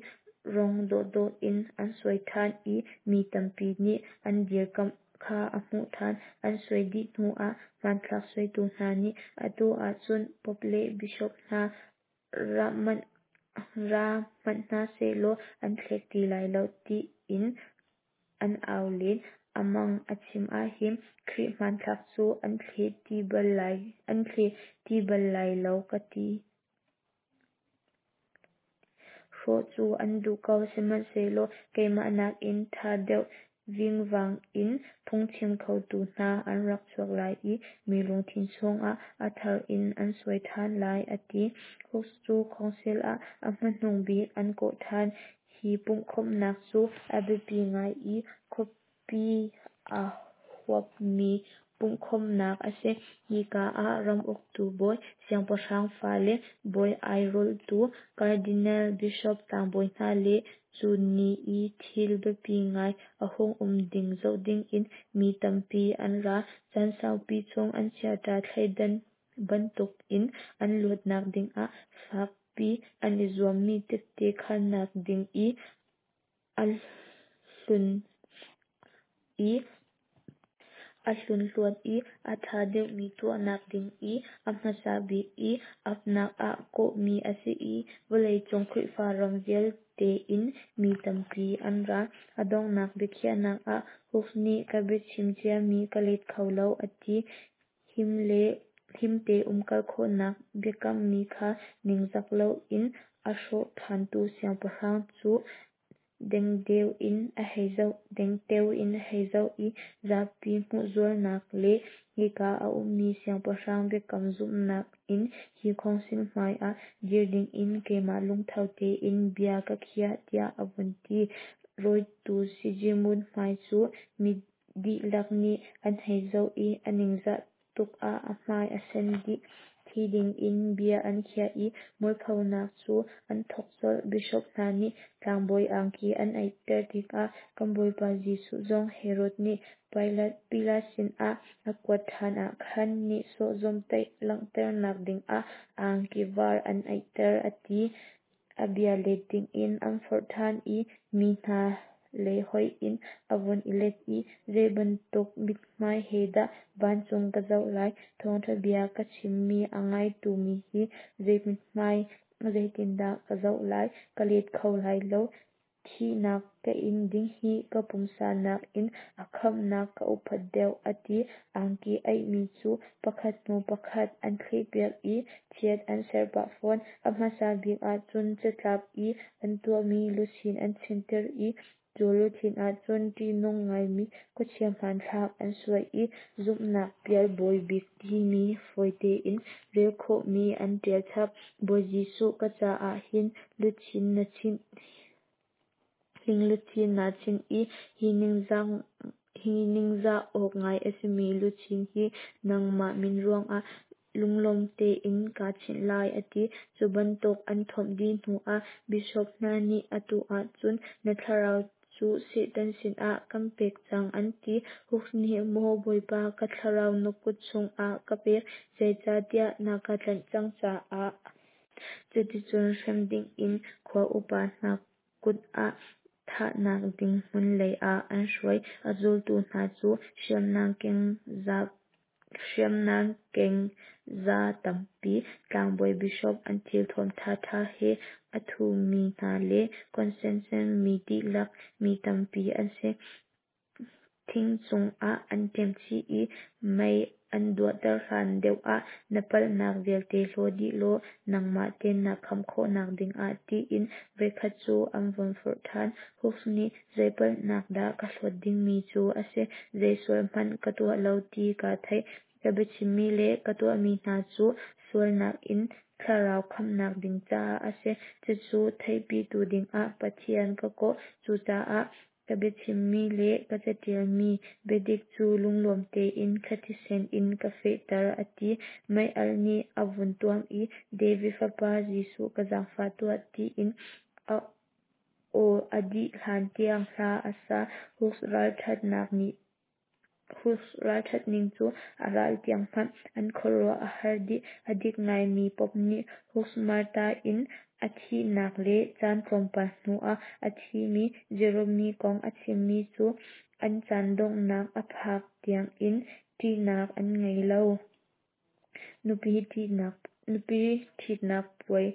rong dawhdawh in an suai ṭhan i mi tampi nih an dirkamh kha a hmuh ṭhan. An suai dih hnuah hmanthlak suaitu hna nih atu ahcun Pope le Bishop hna ra hmanh hna sehlaw an thlek ti lai lo tiin an au len. A mang a chim ahhin Khrih hmanthlak cu an thle ti bal lai lo ka ti. Hrawh cu an duh ko, sihmanhsehlaw keimah nakin ṭha deuh vingvang in phungchim khotu hna an rak chuak lai i mi lungthin chungah a thar in an suai ṭhan lai, a ti. Hus cu Council ah a hmanung bik an kawh ṭhan. Hi pumhkhawmhnak cu a biapi ngai i khuapi a huapmi pumhkhawmhnak a si. Hika ah ram uktu bawi, siangpahrang fale, bawi airawltu, cardinal, bishop, tlangbawi hna le cu ni i thil biapi ngai a hung um ding zoh dingin mi tampi an ra. Caan saupi chung an chiaṭha thleidan bantukin an luatnak dingah fakpi an i zuammi tette khannak ding i a hlunhluat i a ṭha deuhmi tuahnak ding i a hmasa bik i apnak ah kawhmi a si i vawleicung Khrihfa ram vialte in mi tampi an ra. A donghnak biakhiahnak ah Hus nih ka biachim ciami ka let kho lo a ti. Himte umkal khawhnak biakammi kha ningzak loin a hrawh ṭhantu siangpahrang cu Dengteo in a hei zoh, dengteo in a hei zoh i zapi hmuhzualnak le hika a ummi siangpahrang biakam zumhnak in hi khawngsil hmai ah dir dingin keimah lungtho tein bia ka khiah, tiah a vun ti. Rawitu Segimund hmai cu mi dihlak nih an hei zoh i a ningzah tuk ah a hmai a sen dih. Thi dingin bia an khiah i mualphonak cu an thawk colh. Bishop hna nih tlangbawi angki an aihter tikah kan Bawipa Jesuh zong Herod nih Pilat sinah a kuat ṭhan ah khan nihsawh zawmhtaih langhternak dingah angki var an aihter, a ti. A bia let dingin an forh ṭhan i mi hna lei hoih in a vun i let i, Zei bantuk mithmai he dah vancung ka zoh lai? Thawngṭha bia ka chimmi a ngaitu mi hi zei mithmai zeitindah ka zoh lai? Ka let kho lai lo. Thihnak ka in ding hi ka pumsa nakin a khamhnak ka upat deuh, a ti. Angki aihmi cu pakhat hnu pakhat an thlehpiak i chiat an serh pah fawn. A hmasa bik ah cun catlap i an tuahmi luchin an chinhter i cu luchin ah cun ṭihnung ngaimi khuachia hmanthlak an suai i zumhnak pial bawi bik timi fawi tein rel khawhmi an ṭial chap. Bawi Jesuh, ka caah hin luchin na chinh hling luchin naa chinh i hi ningzah awk ngai a simi luchin hi nangmah min ruangah lunglawm tein kaa chinh lai, a ti. Cu bantuk an thomh dih hnuah bishop hna nih, Atu ahcun na thlarau cu Satan sinah kan pek cang, an ti. Hus nih, Maw Bawipa, ka thlarau na kut chungah ka pek, zeicahtiah na ka tlanh cang caah. Cuticun hrem dingin khua upa hna kut ah thahnak ding hmun lei ah an hruai. A zultu hna cu hriamnam keng za tampi, tlangbawi bishop an thilthuam ṭhaṭha he a ṭhumi hna le Constance mi dihlak mi tampi an si. Thing cungah an ṭemchih i mei an duahter hlan deuh ah na palhnak vialte hlaw dih law nangmah tein naa khamh khawhnak dingah tiin voikhat cu an vun forh ṭhan. Hus nih zei palhnak dah ka hlawt dingmi cu a si, zei sual hmanh ka tuah lo ti kaa theih. Ka biachimmi le ka tuahmi hna cu sualnak in thlarau khamhnak ding caah a si. Cucu theihpitu dingah Pathian ka kawh. Cucaah ka biachimmi le ka caṭialmi biadik cu lunglawm tein ka thisen in ka fehter, a ti. Mei-alh nih a vun tuam i, David fapa Jesuh ka zaangfah tuah, tiin a aw a dih hlan tiang hla a sa. Hus ralṭhat ning cu a ral tiang hmanh an khuaruah a har dih. A dik ngaimi Pope nih Hus martyr in a thihnak le caan tlawmpal hnuah a thimi Jerome kong a chimmi cu an caan donghnak a phak tiangin ṭihnak an ngei lo. Nupi ṭhitnak puai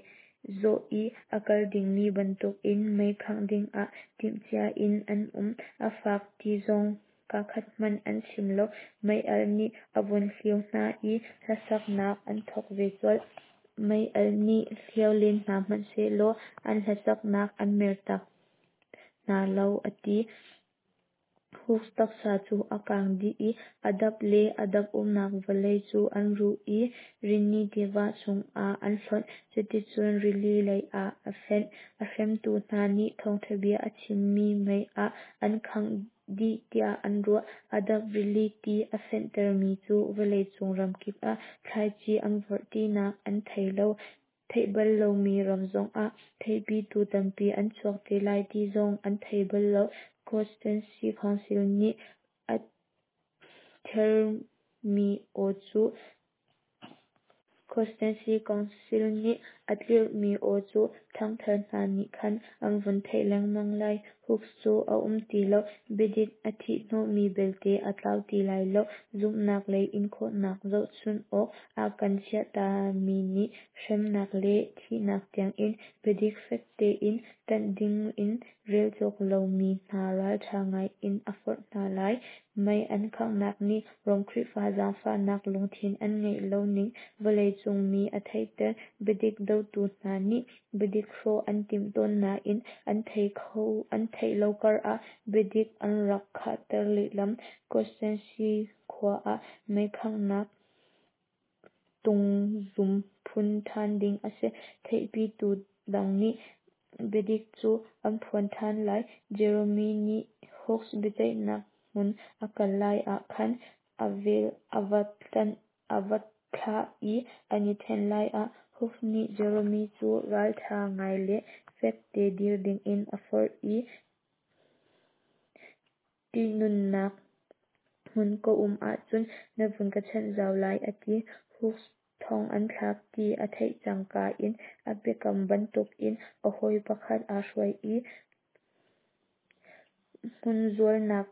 zawh i a kal dingmi bantukin mei khangh dingah timhcia in an um. A fak ti zong kaakhat hmanh an chim lo. Mei-alh nih a vun hlio hna i hlasaknak an thawk ve colh. Mei-alh nih hlio len hna hmanhsehlaw an hlasaknak an mertak hna lo, a ti. Hus taksa cu a kang dih i a dap le a dap umnak vawlei cu an ruh i Rini tiva chungah an hlonh. Cuticun rili leiah a fenh. A hremtu hna nih thawngṭha bia a chimmi mei ah an khangh dih tiah an ruah. A dap rili ti a fenhtermi cu vawleicung ramkip ah thlaici an vorh tinak an thei lo. Theih bal lomi ram zongah theipitu tampi an chuak te lai ti zong an thei bal lo. Constance Council nih a thermi aw cu Constance Council nih a tlirhmi aw cu ṭhangthar hna nih khan an vun theih lengmang lai. Hus cu a um ti lo. Biadik a thih hnawhmi belte a tlau ti lai lo. Zumhnak lei inkhawhnak zohchunh awk a kan chiahtami nih hremnak le thihnak tiangin biadik fek tein ṭanh dingin rel cawk lomi hna ralṭha ngaiin a forh hna lai. Mei an khanghnak nih Rom Khrihfa zaangfahnak lungthin an ngeih lo ning vawleicung mi a theihter. Biadik dotu hna nih biadik hrawh an timh tawn nain an tei kho. theih lo kar ah biadik an rak khahter lehlam. Constance khua ah meikhanghnak tungzum phun ṭhan ding a si. Theihpitu dang nih biadik cu an phuan ṭhan lai. Jerome nih Hus biaceihnak hmun a kal lai ah khan a vel a va thlah i an i ṭhen lai ah Hus nih Jerome cu ralṭha ngai le fekte dir dingin a forh i ṭihnunnak hmun ka um ahcun na vun ka chanh zau lai a ti. Hus thong an thlak ti a theih cangka in a biakam bantukin a hawi pakhat aa hruai i hmunzualnak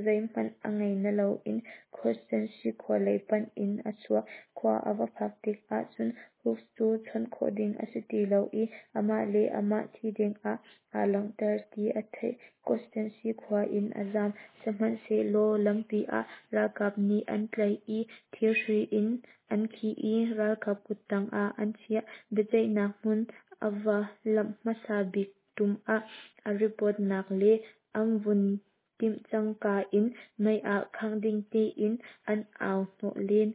zeihmanh a ngei na loin Constance khua lei panh in a chuak. Khua a va phak tikah cun Hus cu chawnh khawh ding a si ti lo i amah le amah thi dingah aa langhter ti a theih. Constance khua in a zam. Sihmanhsehlaw lampi ah ralkap nih an tlaih i thirhri in an khih i ralkap kuttang ah an chiah. Biaceihnak hmun a va lamh hmasa bik ṭum ah a ripawtnak le an vun timh cangka in mei ah khangh ding tiin an au hnawh len.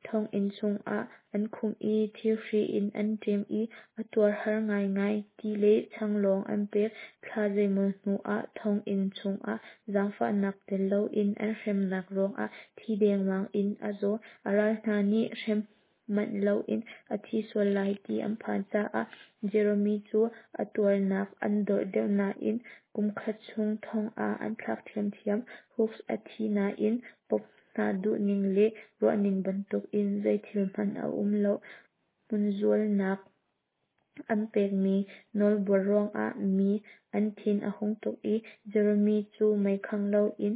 Thonginn chungah an khumh i thirhri in an ṭem i a tuar har ngaingai. Ti le chang lawng an pek. Thla zeimaw hnuah thonginn chungah zaangfahnak tel loin an hremnak ruangah thi dengmang in a zaw. A ral hna nih hrem manh loin a thi sual lai ti an phan caah Jerome cu a tuarnak an dorh deuh nain kum khat chung thong ah an thlak ṭhiamṭhiam. Hus a thi nain Pope hna duhning le ruahning bantukin zeithil hmanh a um lo. Hmunzualnak an pekmi nawlbuar ruangah mi an thin a hung tuk i Jerome cu meikhangh loin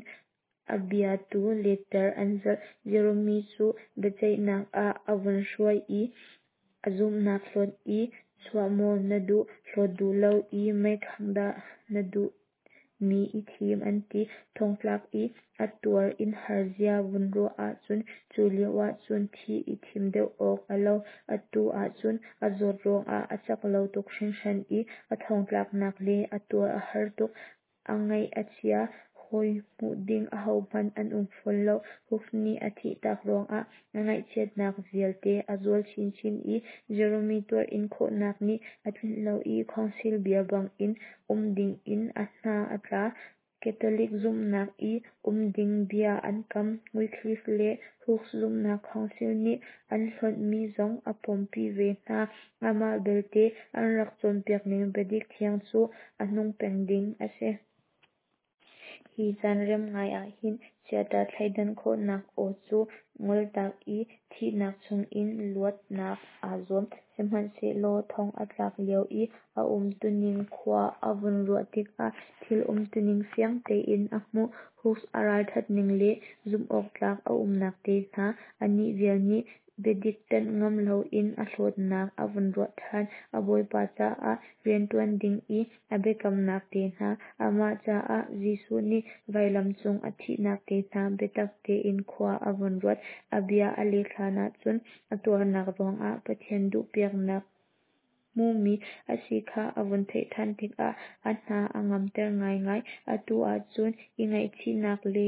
a bia tu letter an zalh. Jerome cu biaceihnak ah a vun hruai i a zumhnak hlawt i chuah maw na duh, hlawt duh lo i meikhangh dah na duh mi i thim an ti. Thongtlak i a tuar in har zia vun ruah ahcun cu lio ahcun thih i thim deuh awk a lo. Atu ahcun a zawt ruangah a cak lo tuk hringhran i a thongtlaknak le a tuar a har tuk. A ngaih a chia, hawi hmuh ding ahohmanh an um fawn lo. Hus nih a thihtak ruangah a ngaihchiatnak vialte a zual chinchin i Jerome tuar-in khawhnak nih a tlinh lo i Council bia bangin um dingin a hna a tla. Catholic zumhnak i um ding bia an kam. Wycliffe le Hus zumhnak Council nih an hlonhmi zong a pompi ve hna. Amah belte an rak cawnpiakning biadik thiang cu a nung peng ding a si. Hi caan rem ngai ahhin chiaṭha thleidan khawhnak aw cu ngoltak i thihnak chungin luatnak aa zuam. Sihmanhsehlaw thong a tlak lio i a umtuning khua a vun ruah tikah thil umtuning fiang tein a hmuh. Hus a ralṭhatning le zumhawktlak a umnak te hna, anih vial nih biadik ṭanh ngam loin a hlawtnak a vun ruah ṭhan. A Bawipa caah rianṭuan ding i a biakamnak te hna, amah caah Jesuh nih vailam cung a thihnak te hna biatak tein khua a vun ruat. A bia a let hlan ahcun a tuarnak ruangah Pathian duhpiaknak hmumi a si kha a vun theih ṭhan tikah a hna a ngamter ngaingai. Atu ahcun i ngaihchihnak le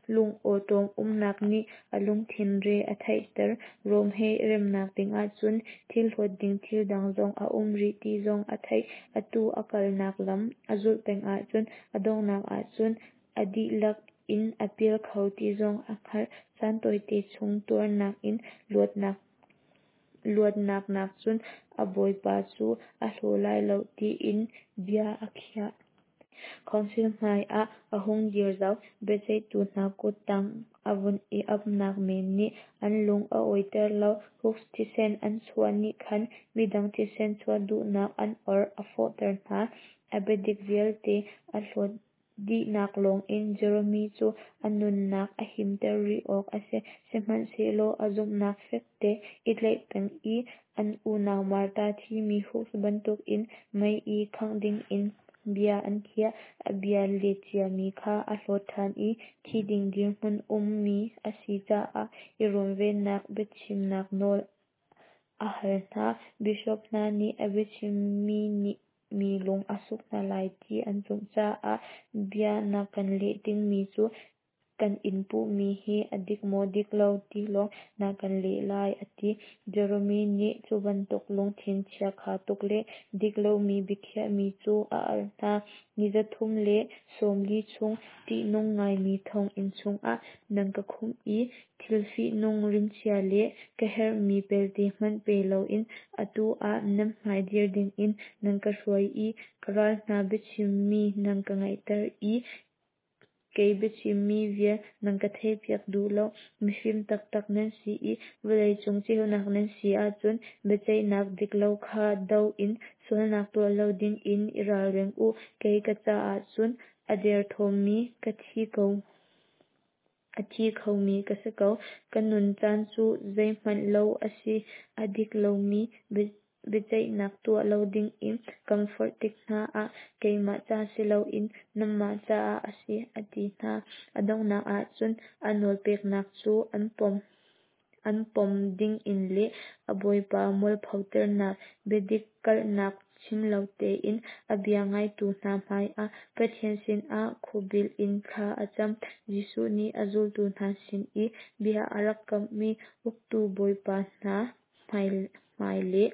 lungawṭawm umnak nih a lungthin re a theihter. Rom he i remnak dingah cun thil hlawt ding thil dang zong a um rih ti zong a theih. Atu a kalnak lam a zulh peng ahcun a donghnak ahcun a dihlak in a pial kho ti zong a hngalh. Caan tawite chung tuarnak in luatnak nakcun a Bawipa cu a hlaw lai lo tiin bia a khiah. Council hmaiah a hung dir zau. Biaceihtu hna kuttang a vun i apnak men nih an lung a awiter lo. Hus thisen an chuah nih khan midang thisen chuah duhnak an or a fawhter hna. A biadik vialte a hlawt dihnak lawngin Jerome cu a nunnak a himter rih awk a si. Sihmanhsehlaw a zumhnak fekte i tlaih peng i an unau Marta thimi Hus bantukin mei i khangh dingin bia an khiah. A bia let ciami kha a hlawt ṭhan i thi ding dirhmun ummi a si caah i runvennak biachimnak nawl a hal hna. Bishop hna nih a biachimmi nih mi lung a suk hna lai ti an zumh caah bia na kan leh dingmi cu kan in puhmi hi a dik maw dik lo ti lawng na kan leh lai a ti. Jerome nih cu bantuk lungthin chiakha tuk le dik lomi biakhiahmi cu a al hna. Ni 340 chung ṭihnung ngaimi thonginn chungah nan ka khumh i thil fihnung rimchia le ka herhmi pelte hmanh pe loin atu ah nan hmai dir dingin nan ka hruai i ka ral hna biachimmi nan ka ngaihter i kei biachimmi vial nan ka theihpiak duh lo. Mifim taktak nan si i vawleicung ceunak nan si ahcun biaceihnak dik lo kha do in sualnak tuah lo dingin i ralring u. Kei ka caah cun a derthawmmi ka thi ko a thi khomi ka si ko. Ka nun caan cu zeihmanh lo a si. A dik lomi biaceihnak tuah lo dingin kan forh tik hna ah keimah ca si loin nanmah caah a si, a ti hna. A donghnak ahcun a nawlpeknak cu an pom. An pom dingin le a bawipa mualphoternak biadik kalhnak chim lo tein a bia ngaitu hna hmaiah Pathian sinah khuabil in thla a cam. Jesuh nih a zultu hna sin i bia a rak kamhmi uktu bawipa hna hmai le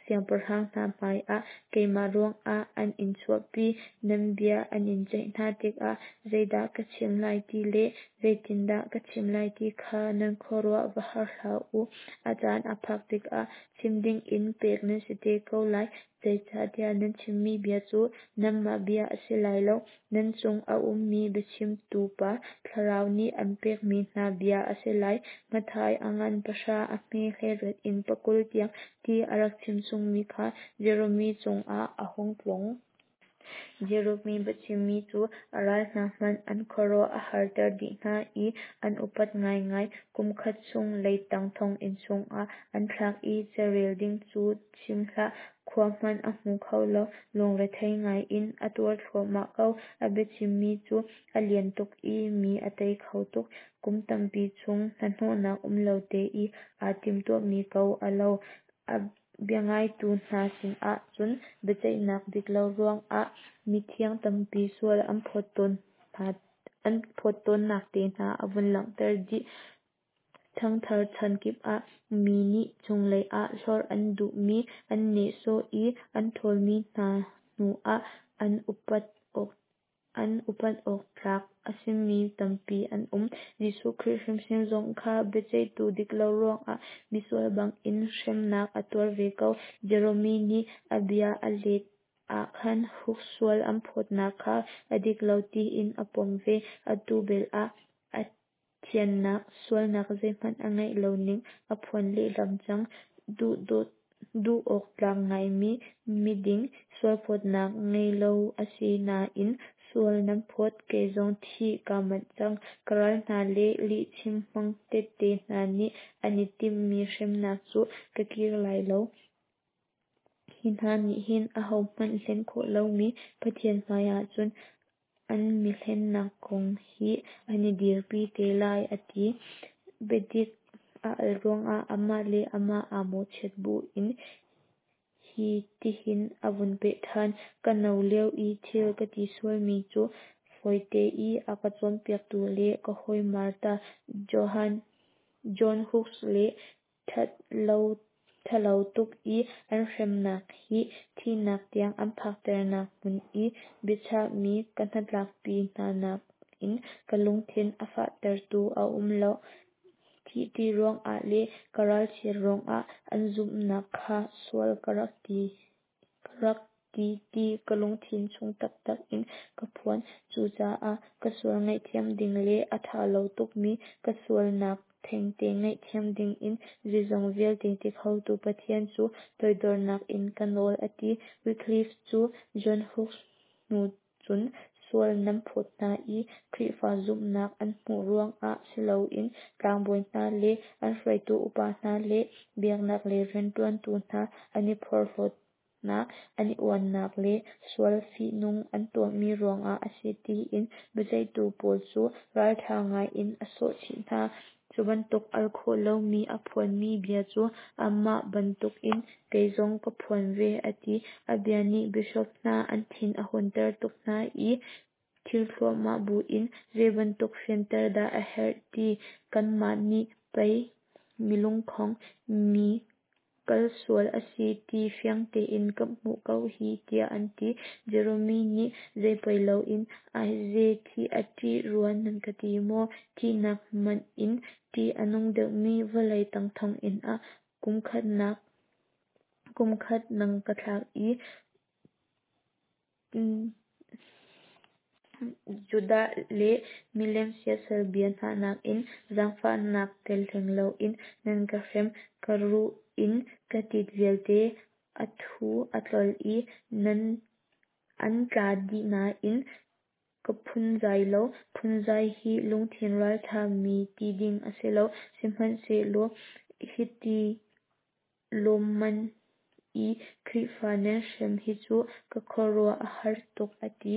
siangpahrang hna hmaiah keimah ruangah an in chuahpi, nan bia an in ceih hna tikah zeidah ka chim lai ti le zeitindah ka chim lai ti kha nan khuaruah va har hlah u. A caan a phak tikah chim dingin pek nan si te ko lai, zeicahtiah nan chimmi bia cu nanmah bia a si lai lo, nan chung a ummi biachimtu Pa Thlarau nih an pekmi hna bia a si lai. Matthai a ngan pahra a hme 18 in pakul tiang ti a rak chimchungmi kha Jerome cungah a hung tlung. Jerome biachimmi cu a ral hna hmanh an khuaruah a harter dih hna i an upat ngaingai. Kum khat chung leitang thonginn chungah an thlak i carel ding cu chim hlah, khua hmanh a hmu kho lo. Lungrethei ngaiin a tuar thluahmah ko. A biachimmi cu a lian tuk i mi a tei kho tuk. Kum tampi chung hnahnawhnak um lo te i aa timhtuahmi ko a lo. A biangaitu hna sinah cun biaceihnak dik lo ruangah mithiang tampi sual an phawt tawnnak te hna a vun langhter dih. Ṭhangthar chan kip ah mi nih cunglei ah hlorh an duhmi, an nehsawh i an ṭhawlmi hna hnu ah an upat awk tlak a simi tampi an um. Jesuh Khrih hrimhrim zong kha biaceihtu dik lo ruangah misual bangin hremnak a tuar ve ko. Jerome nih a bia a let ah khan Hus sual an phawtnak kha a dik lo tiin a pom ve. Atu bel ah a thiannak, sualnak zeihmanh a ngeih lo ning a phuan lehlam cang. Duh awk tlak ngaimi miding, sualphawtnak ngei lo a si nain sual nan phawt, kei zong thih kaa manh cang. Ka ral hna le lihchim hmang tette hna nih an i timhmi hremnak cu ka kir lai lo. Hi hna nih hin ahohmanh hlen khawh lomi Pathian hmaiah cun an mihlennak kong hi an i dirpi te lai, a ti. Biadik a al ruangah amah le amah aa mawhchiat buin hi tihin a vun peh ṭhan. Ka no lio i thil ka ti sualmi cu fawite i a ka cawnpiaktu le ka hawi Martha, John Hus le ṭhalo tuk i an hremnak hi thihnak tiang an phakternak hmun i biachahmi ka hnatlakpi hna nakin ka lungthin a fahtertu a um lo. Thih ṭih ruangah le ka ralchiat ruangah an zumhnak kha sual ka rak ti ti ka lungthin chung taktak in ka phuan. Cucaah ka sual ngaihthiam ding le a ṭha lo tukmi ka sualnak thengte ngaihthiam dingin zeizong vialte ti khotu Pathian cu toidornak in ka nawl, a ti. Wycliffe cu John Hus hnu cun sual nan phawt hna i Khrihfa zumhnak an hmuh ruangah si loin tlangbawi hna le an hruaitu upa hna le biaknak lei rianṭuantu hna an i porhlawtnak, an i uannak le sual fihnung an tuahmi ruangah a si tiin biaceihtu pawl cu ralṭha ngaiin a sawhchih hna. Cu bantuk al khawh lomi a phuanmi bia cu amah bantukin kei zong ka phuan ve, a ti. A bia nih bishop hna an thin a hunter tuk hna i thin thluahmah buin, "Zeibantuk fianter dah a herh ti, kanmah nih pei milungkhong, mi kalsual a si ti fiang tein kan hmuh ko hi," tiah an ti. Jerome nih zeipoi loin, "Aize, thih a ṭih rua nan ka ti maw? Thihnak hmanh in ṭih a nung deuhmi vawlei tang thonginn ah kumkhat nan ka thlak i Judah le milem siasal bia hna nakin zaangfahnak tel hleng loin nan ka hrem, ka ruh in ka tit vialte a thu a tlol i an tla dih nain ka phunzai lo. Phunzai hi lungthin ralṭha mi ti ding a si lo. Sihmanhsehlaw hiti lawmmam i Khrihfa nan hrem hi cu ka khuaruah a har tuk," a ti.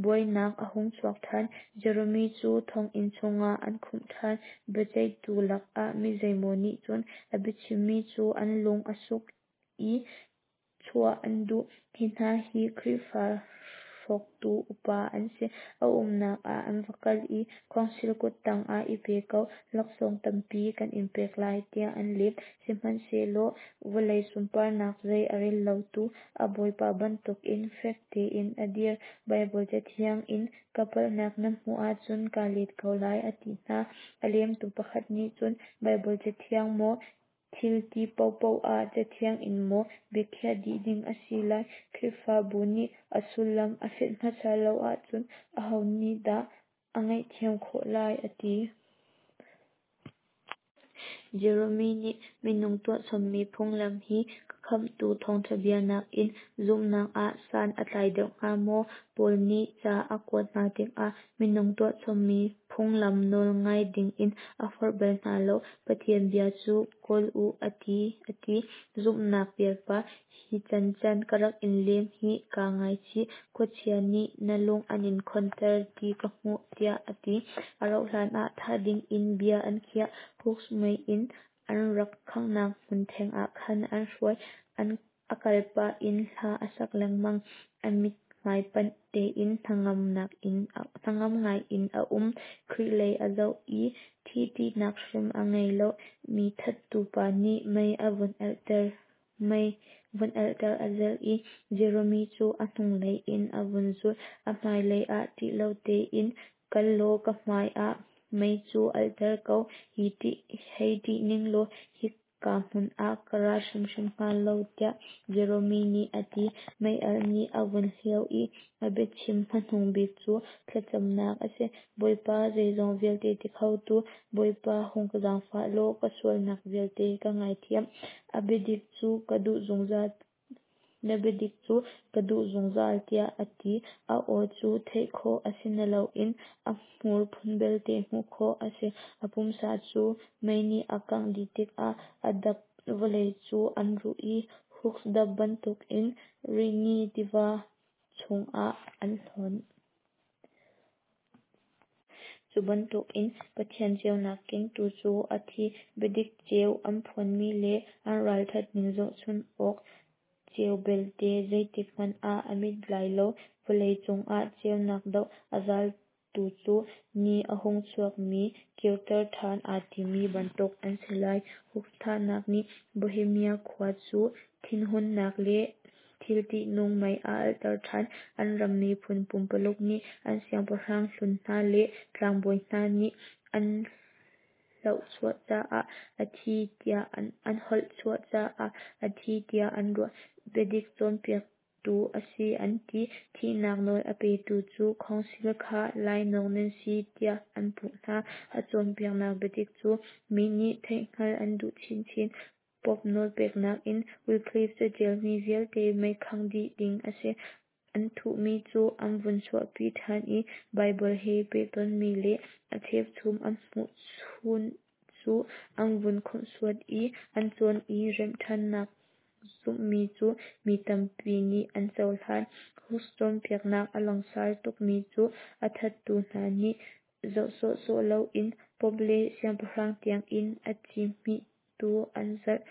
Buainak a hung chuak ṭhan. Jerome cu thonginn chungah an khumh ṭhan. Biaceihtu lakah mi zeimaw nih cun a biachimmi cu an lung a suk i chuah an duh. Hi hna hi Khrihfa hrawktu upa an si. A umnak ah an va kal i, "Khawngsil kuttang ah i pe ko, laksawng tampi kan in pek lai," tiah an lem. Sihmanhsehlaw vawlei sunparnak zei a rel lotu a Bawipa bantukin fek tein a dir. Baibal Cathiang in ka palhnak nan hmuh ahcun kaa let ko lai, a ti hna. A lemtu pakhat nih cun, "Baibal Cathiang maw, thil ti paohpaoh ah Cathiang in maw biakhiah dih ding a si lai? Khrihfabu nih a sullam a fianh hmasa lo ahcun aho nih dah a ngaihthiam khawh lai?" a ti. Jerome nih minung tuahchommi phunglam hi ka Khamhtu thawngṭha bia nakin zumhnak ah san a tlai deuh hnga maw? Paul nih ca a kuat hna tikah minung tuahchommi phunglam nawl ngai dingin a forh bal hna lo. Pathian bia cu kawl u a ti a ti. Zumhnak pialpa, hi cancan ka rak in lem hi kaa ngaichih. Khuachia nih na lung an in khonter ti ka hmuh, tiah a ti. A rauhhlan ah thah dingin bia an khiah. Hus mei in an rak khanghnak hmun theng ah khan an hruai. A kalpah in hla a sak lengmang. A mithmai panh tein hnangam ngaiin a um. Khrih lei a zoh i thih ṭihnak hrim a ngei lo. Mi thattu pa nih mei vun alhter a zelh i Jerome cu a hnunglei in a vun zulh. A hmailei ah ṭih lo tein kal law ka hmai ah mei cu alhter ko, hei ṭih ning law hika hmun ah ka ra hrimhrim hnga lo, tiah Jerome nih a ti. Mei-alh nih a vun hlio i a biachim hmanung bik cu thlacamnak a si. "Bawipa, zeizong vialte ti khotu Bawipa, hung ka zaangfah law ka sualnak vialte ka ngaithiam. Na biadik cu ka duh zungzal," tiah a ti. A aw cu theih khawh a si nain a hmur phun belte hmuh khawh a si. A pumsa cu mei nih a kangh dih tikah a dap vawlei cu an ruh i Hus dap bantukin Rhine tiva chungah an hlonh. Cu bantukin Pathian ceunak kengtu cu a thi. Biadik ceu an phuanmi le an ralṭhat ning zohchun awk ceu belte zeitik hmanh ah a mit lai lo. Vawlei cungah ceunak doh a zaltu cu ni a hung chuakmi kirter ṭhan aa timmi bantuk an si lai. Hus thahnak nih Bohemia khua cu thinhunnak le thil ṭihnung mei a alhter ṭhan. An ram miphun pumpaluk nih an siangpahrang hlun hna le tlangbawi hna nih an hlawhchuah caah a thi tiah an holhchuah caah a thi tiah an ruah. Biadik cawnpiaktu a si an ti. Thihnak nawl a petu cu Khawngsil kha lainawng nan si tiah an puh hna. A cawnpiaknak biadik cu mi nih theihhngalh an duh chinchin. Pope nawlpeknak in Wycliffe caṭialmi vialte meikhangh dih ding a si. An thuhmi cu an vun chuahpi ṭhan i Baibal he pehtonhmi le a cheuchum an hmuh chun cu an vun khawmhsuat i an cawn i remhṭhannak zumhmi cu mi tampi nih an cohlan. Hus cawnpiaknak a langsar tukmi cu a thattu hna nih zoh sawhsawh loin Pope le siangpahrang tiang in a ci hmihtu an zalh.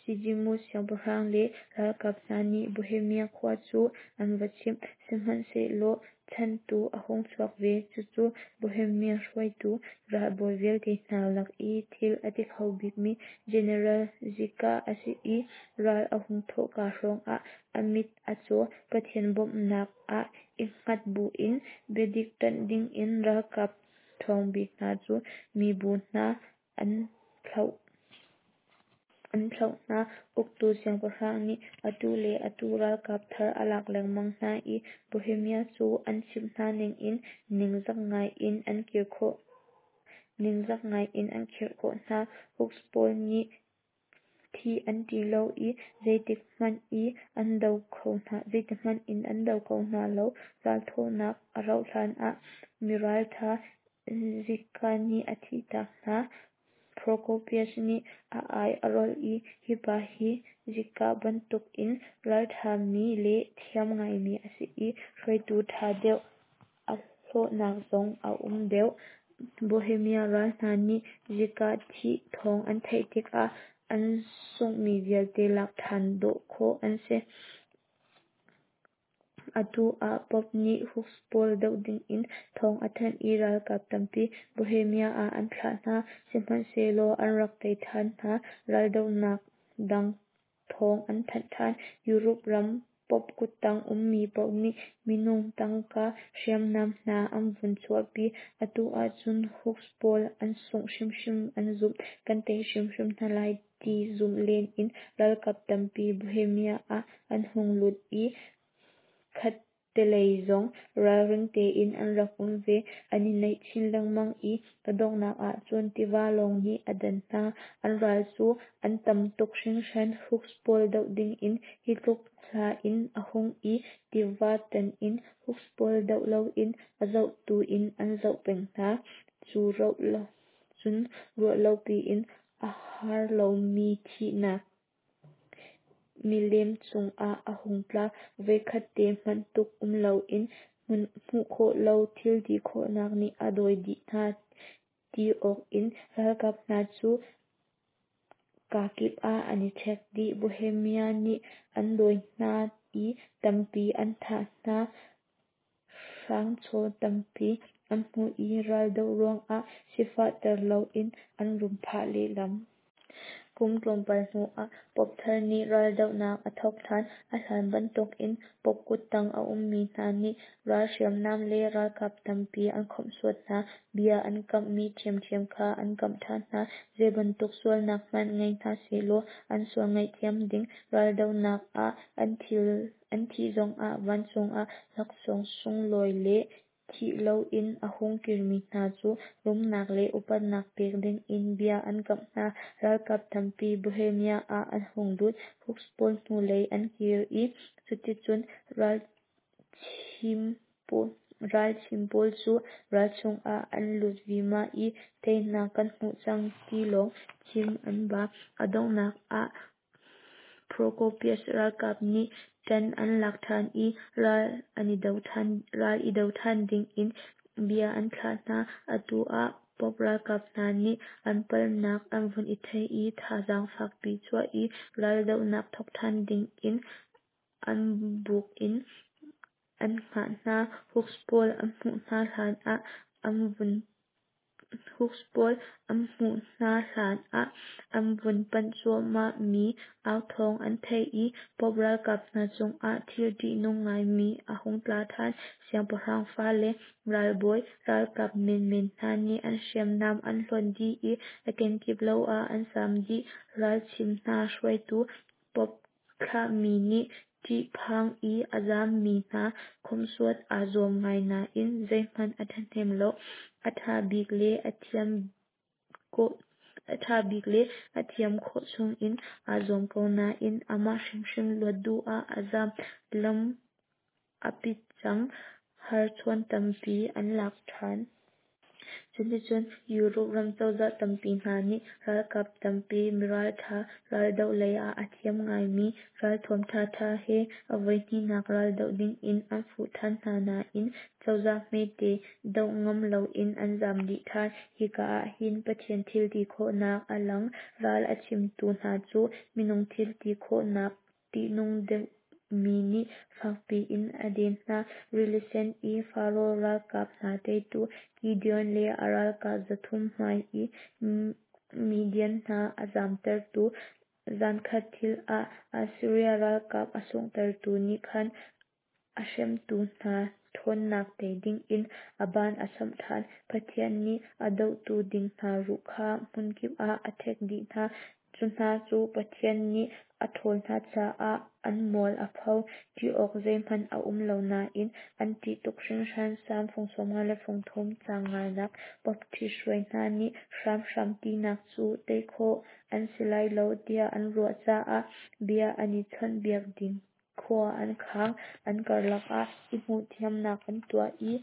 Sijimu siangpahrang le ralkap hna nih Bohemia khua cu an va chimh. Sihmanhsehlaw chanhtu a hung chuak ve. Cucu Bohemia hruaitu ralbawi vialte hna lak i thil a ti kho bikmi General Zika a si i ral a hung thawhka hrawngah a mit a caw. Pathian bawmhnak ah i hngat buin biadik ṭanh dingin ralkap ṭhawngbik hna cu mibu hna an thlauh hna. Uktu siangpahrang nih atu le atu ralkap thar a lak lengmang hna i Bohemia cu an chimh hna ningin ningzak ngai in an khirh khawh hna. Hus pawl nih thih an ṭih lo i zeitikhmanh in an do kho hna lo. Ralthawhnak a rauh hlan ah miralṭha Zika nih a thihtak hna. Procopius nih a ai a rolh i hi pa hi Zika bantuk in ralṭhami le thiam ngaimi a si i hruaitu ṭha deuh a hlawhnak zong a um deuh. Bohemia ral hna nih Zika thih thawng an theih tikah an sunghmi vialte lak ṭhan dawh khawh an si. Atu ah Pope nih Hus pawl doh dingin thawng a thanh i ralkap tampi Bohemia ah an thlah hna. Sihmanhsehlaw an rak tei ṭhan hna. Raldohnak dang thawng an thanh ṭhan. Europe ram Pope kuttang ummi paoh nih minung, tangka, hriamnam hna an vun chuahpi. Atu ahcun Hus pawl an sungh hrimhrim an zumh. Kan tei hrimhrim hna lai ti zumh len in ralkap tampi Bohemia ah an hung lut i khattelei zong ralring tein an rak um ve. An i naih chin lengmang i a donghnak ahcun tiva lawng nih a dan hna. An ral cu an tam tuk hringhran. Hus pawl doh dingin hi tluk hla in a hung i tiva tan in Hus pawl doh loin a zohtu in an zoh peng hna. Cun ruah lopi in a har lomi thihnak milem cungah a hung tla. Voikhat te hmanh tuk um loin hmuh khawh lo thil ti khawhnak nih a dawi dih hna ti awk in ralkap hna cu kakip ah an i ṭhek dih. Bohemia nih an dawi hna i tampi an thah hna. Hrangchaw tampi an hmuh i raldoh ruangah sifahter loin an rum phah lehlam. Kum tlawmpal hnuah Pope thar nih raldohnak a thawk ṭhan. A hlan bantukin Pope kuttang a ummi hna nih ral hriamnam le ralkap tampi an khawmhsuat hna. Bia an kamhmi ṭhiamṭhiam kha an kamh ṭhan hna. Zeibantuk sualnak hmanh ngei hna sehlaw an sual ngaihthiam ding, raldohnak ah an thih zongah vancung ah laksawng sunglawi le thih loin a hung kirmi hna cu rumnak le upatnak pek dingin bia an kamh hna. Ralkap tampi Bohemia ah an hung lut. Hus pawl hnulei an kir i cuticun ralchim pawl cu ral chungah an lut vima i teinak kan hmuh cang ti lawng chim an ba. A donghnak ah Procopius ralkap nih ṭan an lak ṭhan i ral i do ṭhan dingin bia an thlah hna. Atu ah Pope ralkap hna nih an palhnak an vun i theih i thazaang fakpi chuah i raldohnak thawk ṭhan dingin an buk in an hngah hna. Hus pawl an hmuh hna hlan ah an vun panh cuahmahmi authawng an theih i Pope ralkap hna cungah thil ṭihnung ngaimi a hung tla ṭhan. Siangpahrang fale, ralbawi, ralkap menmen hna nih an hriamnam an hlonh dih i a kenkip lo ah an zaam dih. Ralchim hna hruaitu Pope thlahmi nih ṭihphang i a zaammi hna khawmhsuat aa zuam ngai nain zeihmanh a ṭhahnem lo. A ṭha bik le a thiam khawh chungin aa zuam ko nain amah hrimhrim luat duh ah a zaam. Lam a pit cang. Harchuan tampi an lak ṭhan. Cuticun Europe ram cozah tampi hna nih ralkap tampi, miralṭha, raldoh lei ah a thiam ngaimi, ralthuam ṭhaṭha he a voihnihnak raldoh dingin an fuh ṭhan hna nain cozah hmete doh ngam loin an zam dih ṭhan. Hika ahhin Pathian thilti khawhnak a lang. Ral a chimtu hna cu minung thilti khawhnak ṭihnung deuhmi nih fakpi in a den hna. Rili Sen i Faraoh ralkap hna teitu, Gideon le a ralkap 300 hmai i Midian hna a zamtertu, zankhat thil ah Assiria ralkap a sunghtertu nih khan a hremtu hna ṭhawnnak tei dingin a ban a samh ṭhan. Pathian nih a dohtu ding hna ruh kha hmunkip ah a ṭhek dih hna. Cu hna cu Pathian nih a ṭhawl hna caah an mual a pho. Ṭih awk zeihmanh a um lo nain an ṭih tuk hringhran. Salm fung 53 caang nganak. Pope ṭhithruai hna nih hramhram tinak cu tei khawh an si lai lo tiah an ruah caah bia an i chawnhbiak ding khua an khang. An karlak ah i hmuhthiamnak an tuah i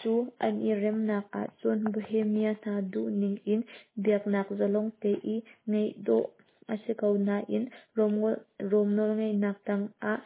cu an i remnak ahcun Bohemia hna duhning in biaknak zalong te i ngeih dawh a si ko nain Rom nawlngeihnak tangah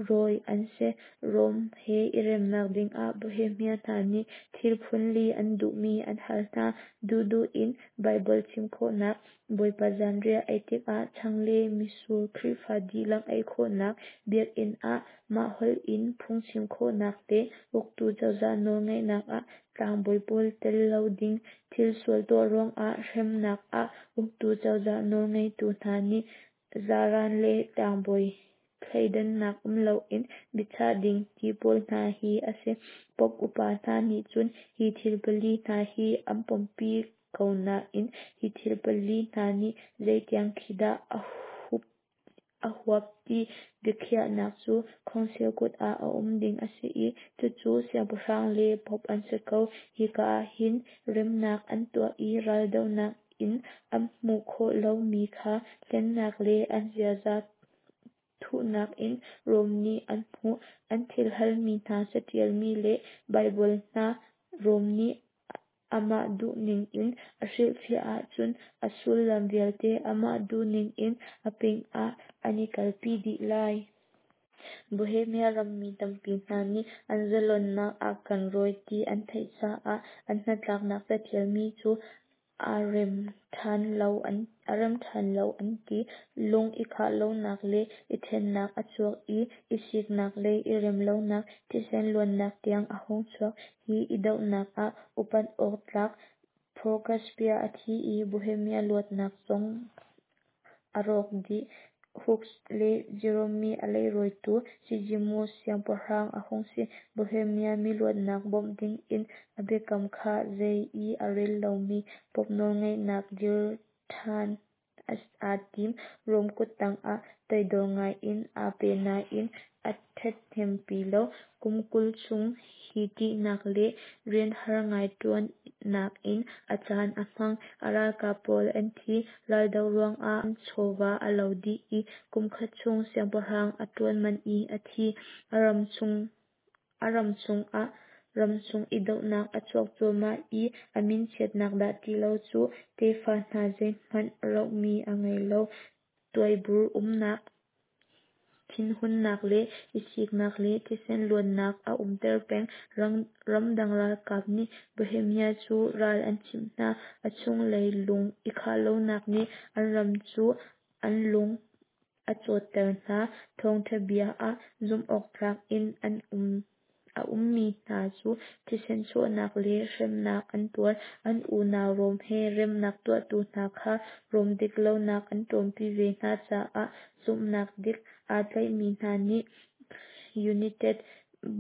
rawi an si. Rom he i remnak dingah Bohemia hna nih thil phunli an duhmi an hal hna: duhduh in Baibal chim khawhnak, Bawipa zanriah ei tikah chang le mitsur Khrihfa dihlak ei khawhnak, biakinn ah mah holh in phungchim khawhnak le uktu cozah nawlngeihnak ah tlangbawi pawl tel lo ding, thil sual tuah ruangah hremnak ah uktu cozah nawlngeitu hna nih zaran le tlangbawi thleidannak um loin biachah ding ti pawl hna hi a si. Pope upa hna nih cun hi thil pali hna hi an pompi ko nain hi thil pali hna nih zeitiang khi dah a huap ti biakhiahnak cu Council kut ah a um ding a si i cucu siangpahrang le pope an si ko. Hika ah hin remnak an tuah i raldohnak in an hmuh khawh lomi kha hlennak le an ziaza thuhnak in Rom nih an hmuh. An thil halmi hna caṭialmi le Baibal hna Rom nih amah duhning in a hrilhfiah ahcun a sullam vialte amah duhning in a pingah an i kalpi dih lai. Bohemia rammi tampi hna nih an zalonnak a kan rawi ti an theih caah an hnatlaknak caṭialmi cu aa rem ṭhan lo an ti. Lung i khah lonak le i ṭhennak a chuak i i siknak le i rem lonak, thisen luannak tiang a hung chuak. Hi i dohnak ah upat awk tlak Procaspia a thi i Bohemia luatnak zong a rawk dih. Hughes le Jerome a leirawitu Sigismund siangpahrang a hung si. Bohemia miluatnak bawmh dingin a biakam kha zei i a rel lomi Pope nawlngeihnak dir ṭhan aa tim. Rom kuttang ah toidor ngaiin aa pe nain a ṭhathnempi lo. Kum 20 chung hi ṭihnak le rian har ngai ṭuannak in a caan a hmang. A ralkap pawl an thi. Raldoh ruangah an chawva a lo dih i kum khat chung siangpahrang a ṭuan manh i a thi. A ram chungah ramchung i dohnak a chuak cuahmah i a minchiatnak dah ti lo cu tefa hna zeihmanh rohmi a ngei lo. Tuaibur umnak, thinhunnak le i siknak le thisen luannak a umter peng. Ramdang ralkap nih Bohemia cu ral an chimh hna. A chunglei lung i khah lonak nih an ram cu an lung a cawtter hna. Thawngṭha bia ah zumhawktlak in an um. A ummi hna cu thisen chuahnak le hremnak an tuar. An unau Rom he remnak tuahtu hna kha Rom dik lonak an ṭawmpi ve hna caah zumhnak dik aa tlaihmi hna nih United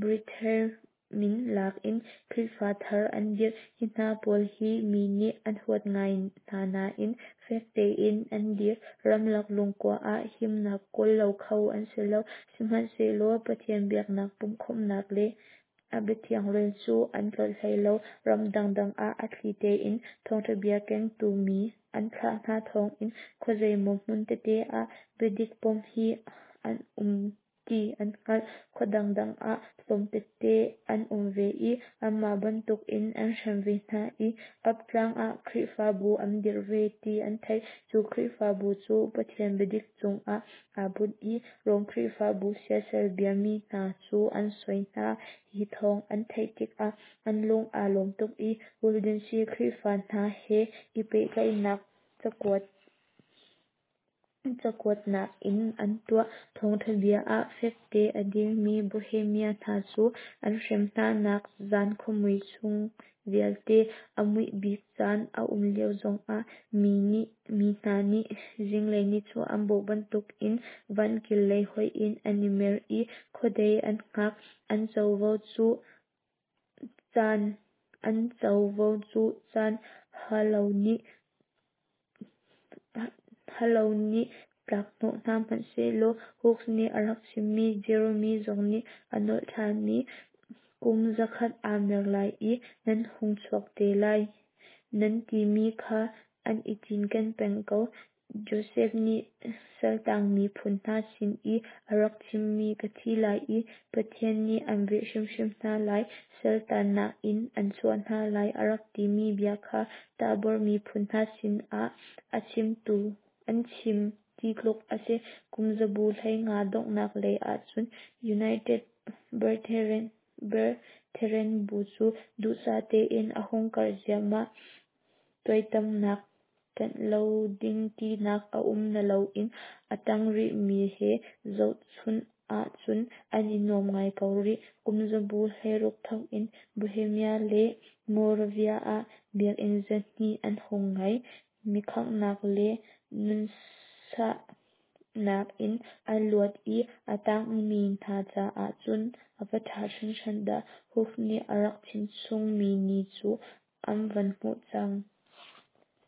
Brethren min lak in Khrihfa thar an dirh. Hi hna pawl hi mi nih an huat ngai hna nain fek tein an dir. Ramlak lungkua ah himnak kawl lo kho an si lo. Sihmanhsehlaw Pathian biaknak pumhkhawmhnak le a biathiang rel cu an tlolh hlei lo. Ram dangdang ah a thli tein thawngṭha bia kengtu mi an thlah hna thawngin khuazeimaw hmun tete ah biadik pom hi an um. ti an hngalh. Khua dangdang ah tlawm tete an um ve i anmah bantukin an hrem ve hna i Alp tlang ah Khrihfabu an dirh ve ti an theih. Cu Khrihfabu cu Pathian biadik cungah aa bunh i Rom Khrihfabu siasal biami hna cu an soi hna. Hi thawng an theih tikah an lung aa lawm tuk i Waldensia Khrihfa hna he i pehtlaihnak cakuat Cakuatnak in an tuah. Thawngṭha bia ah fekte a dirmi Bohemia hna cu an hrem hnanak zan khuamui chung vialte a muih bik caan a um lio zongah mi hna nih zinglei nichuah an bawh bantukin vankil lei hoih in an i mer i khuadei an hngak. An covo cu caan halo nih tlakhnawh hna hmanhsehlaw Hus nih a rak chimmi, Jerome zong nih a nolh ṭhanmi, kum 100 aa mer lai i nan hung chuak te lai, nan timi kha an i cinken peng ko. Josef nih saltang miphun hna sin i a rak chimmi ka thi lai i Pathian nih an velh hrimhrim hna lai, saltannak in an chuah hna lai a rak timi bia kha Tabor miphun hna sinah a chim ti tluk a si. Kum zabu 15 donghnak lei ahcun United Brethren bu cu duhsah tein a hung karh ziahmah. Tuaitamnak ṭanh lo ding tinak a um na loin a tang rihmi he zohchunh ahcun an i nuam ngai ko rih. Kum zabu 16 thawk in Bohemia le Moravia ah biakinn 200 an hung ngei. Mikhanghnak le nunsahnak in an luat i a tangmi hna caah cun a va ṭha hringhran dah! Hus nih a rak chimchungmi ni cu an van hmuh cang.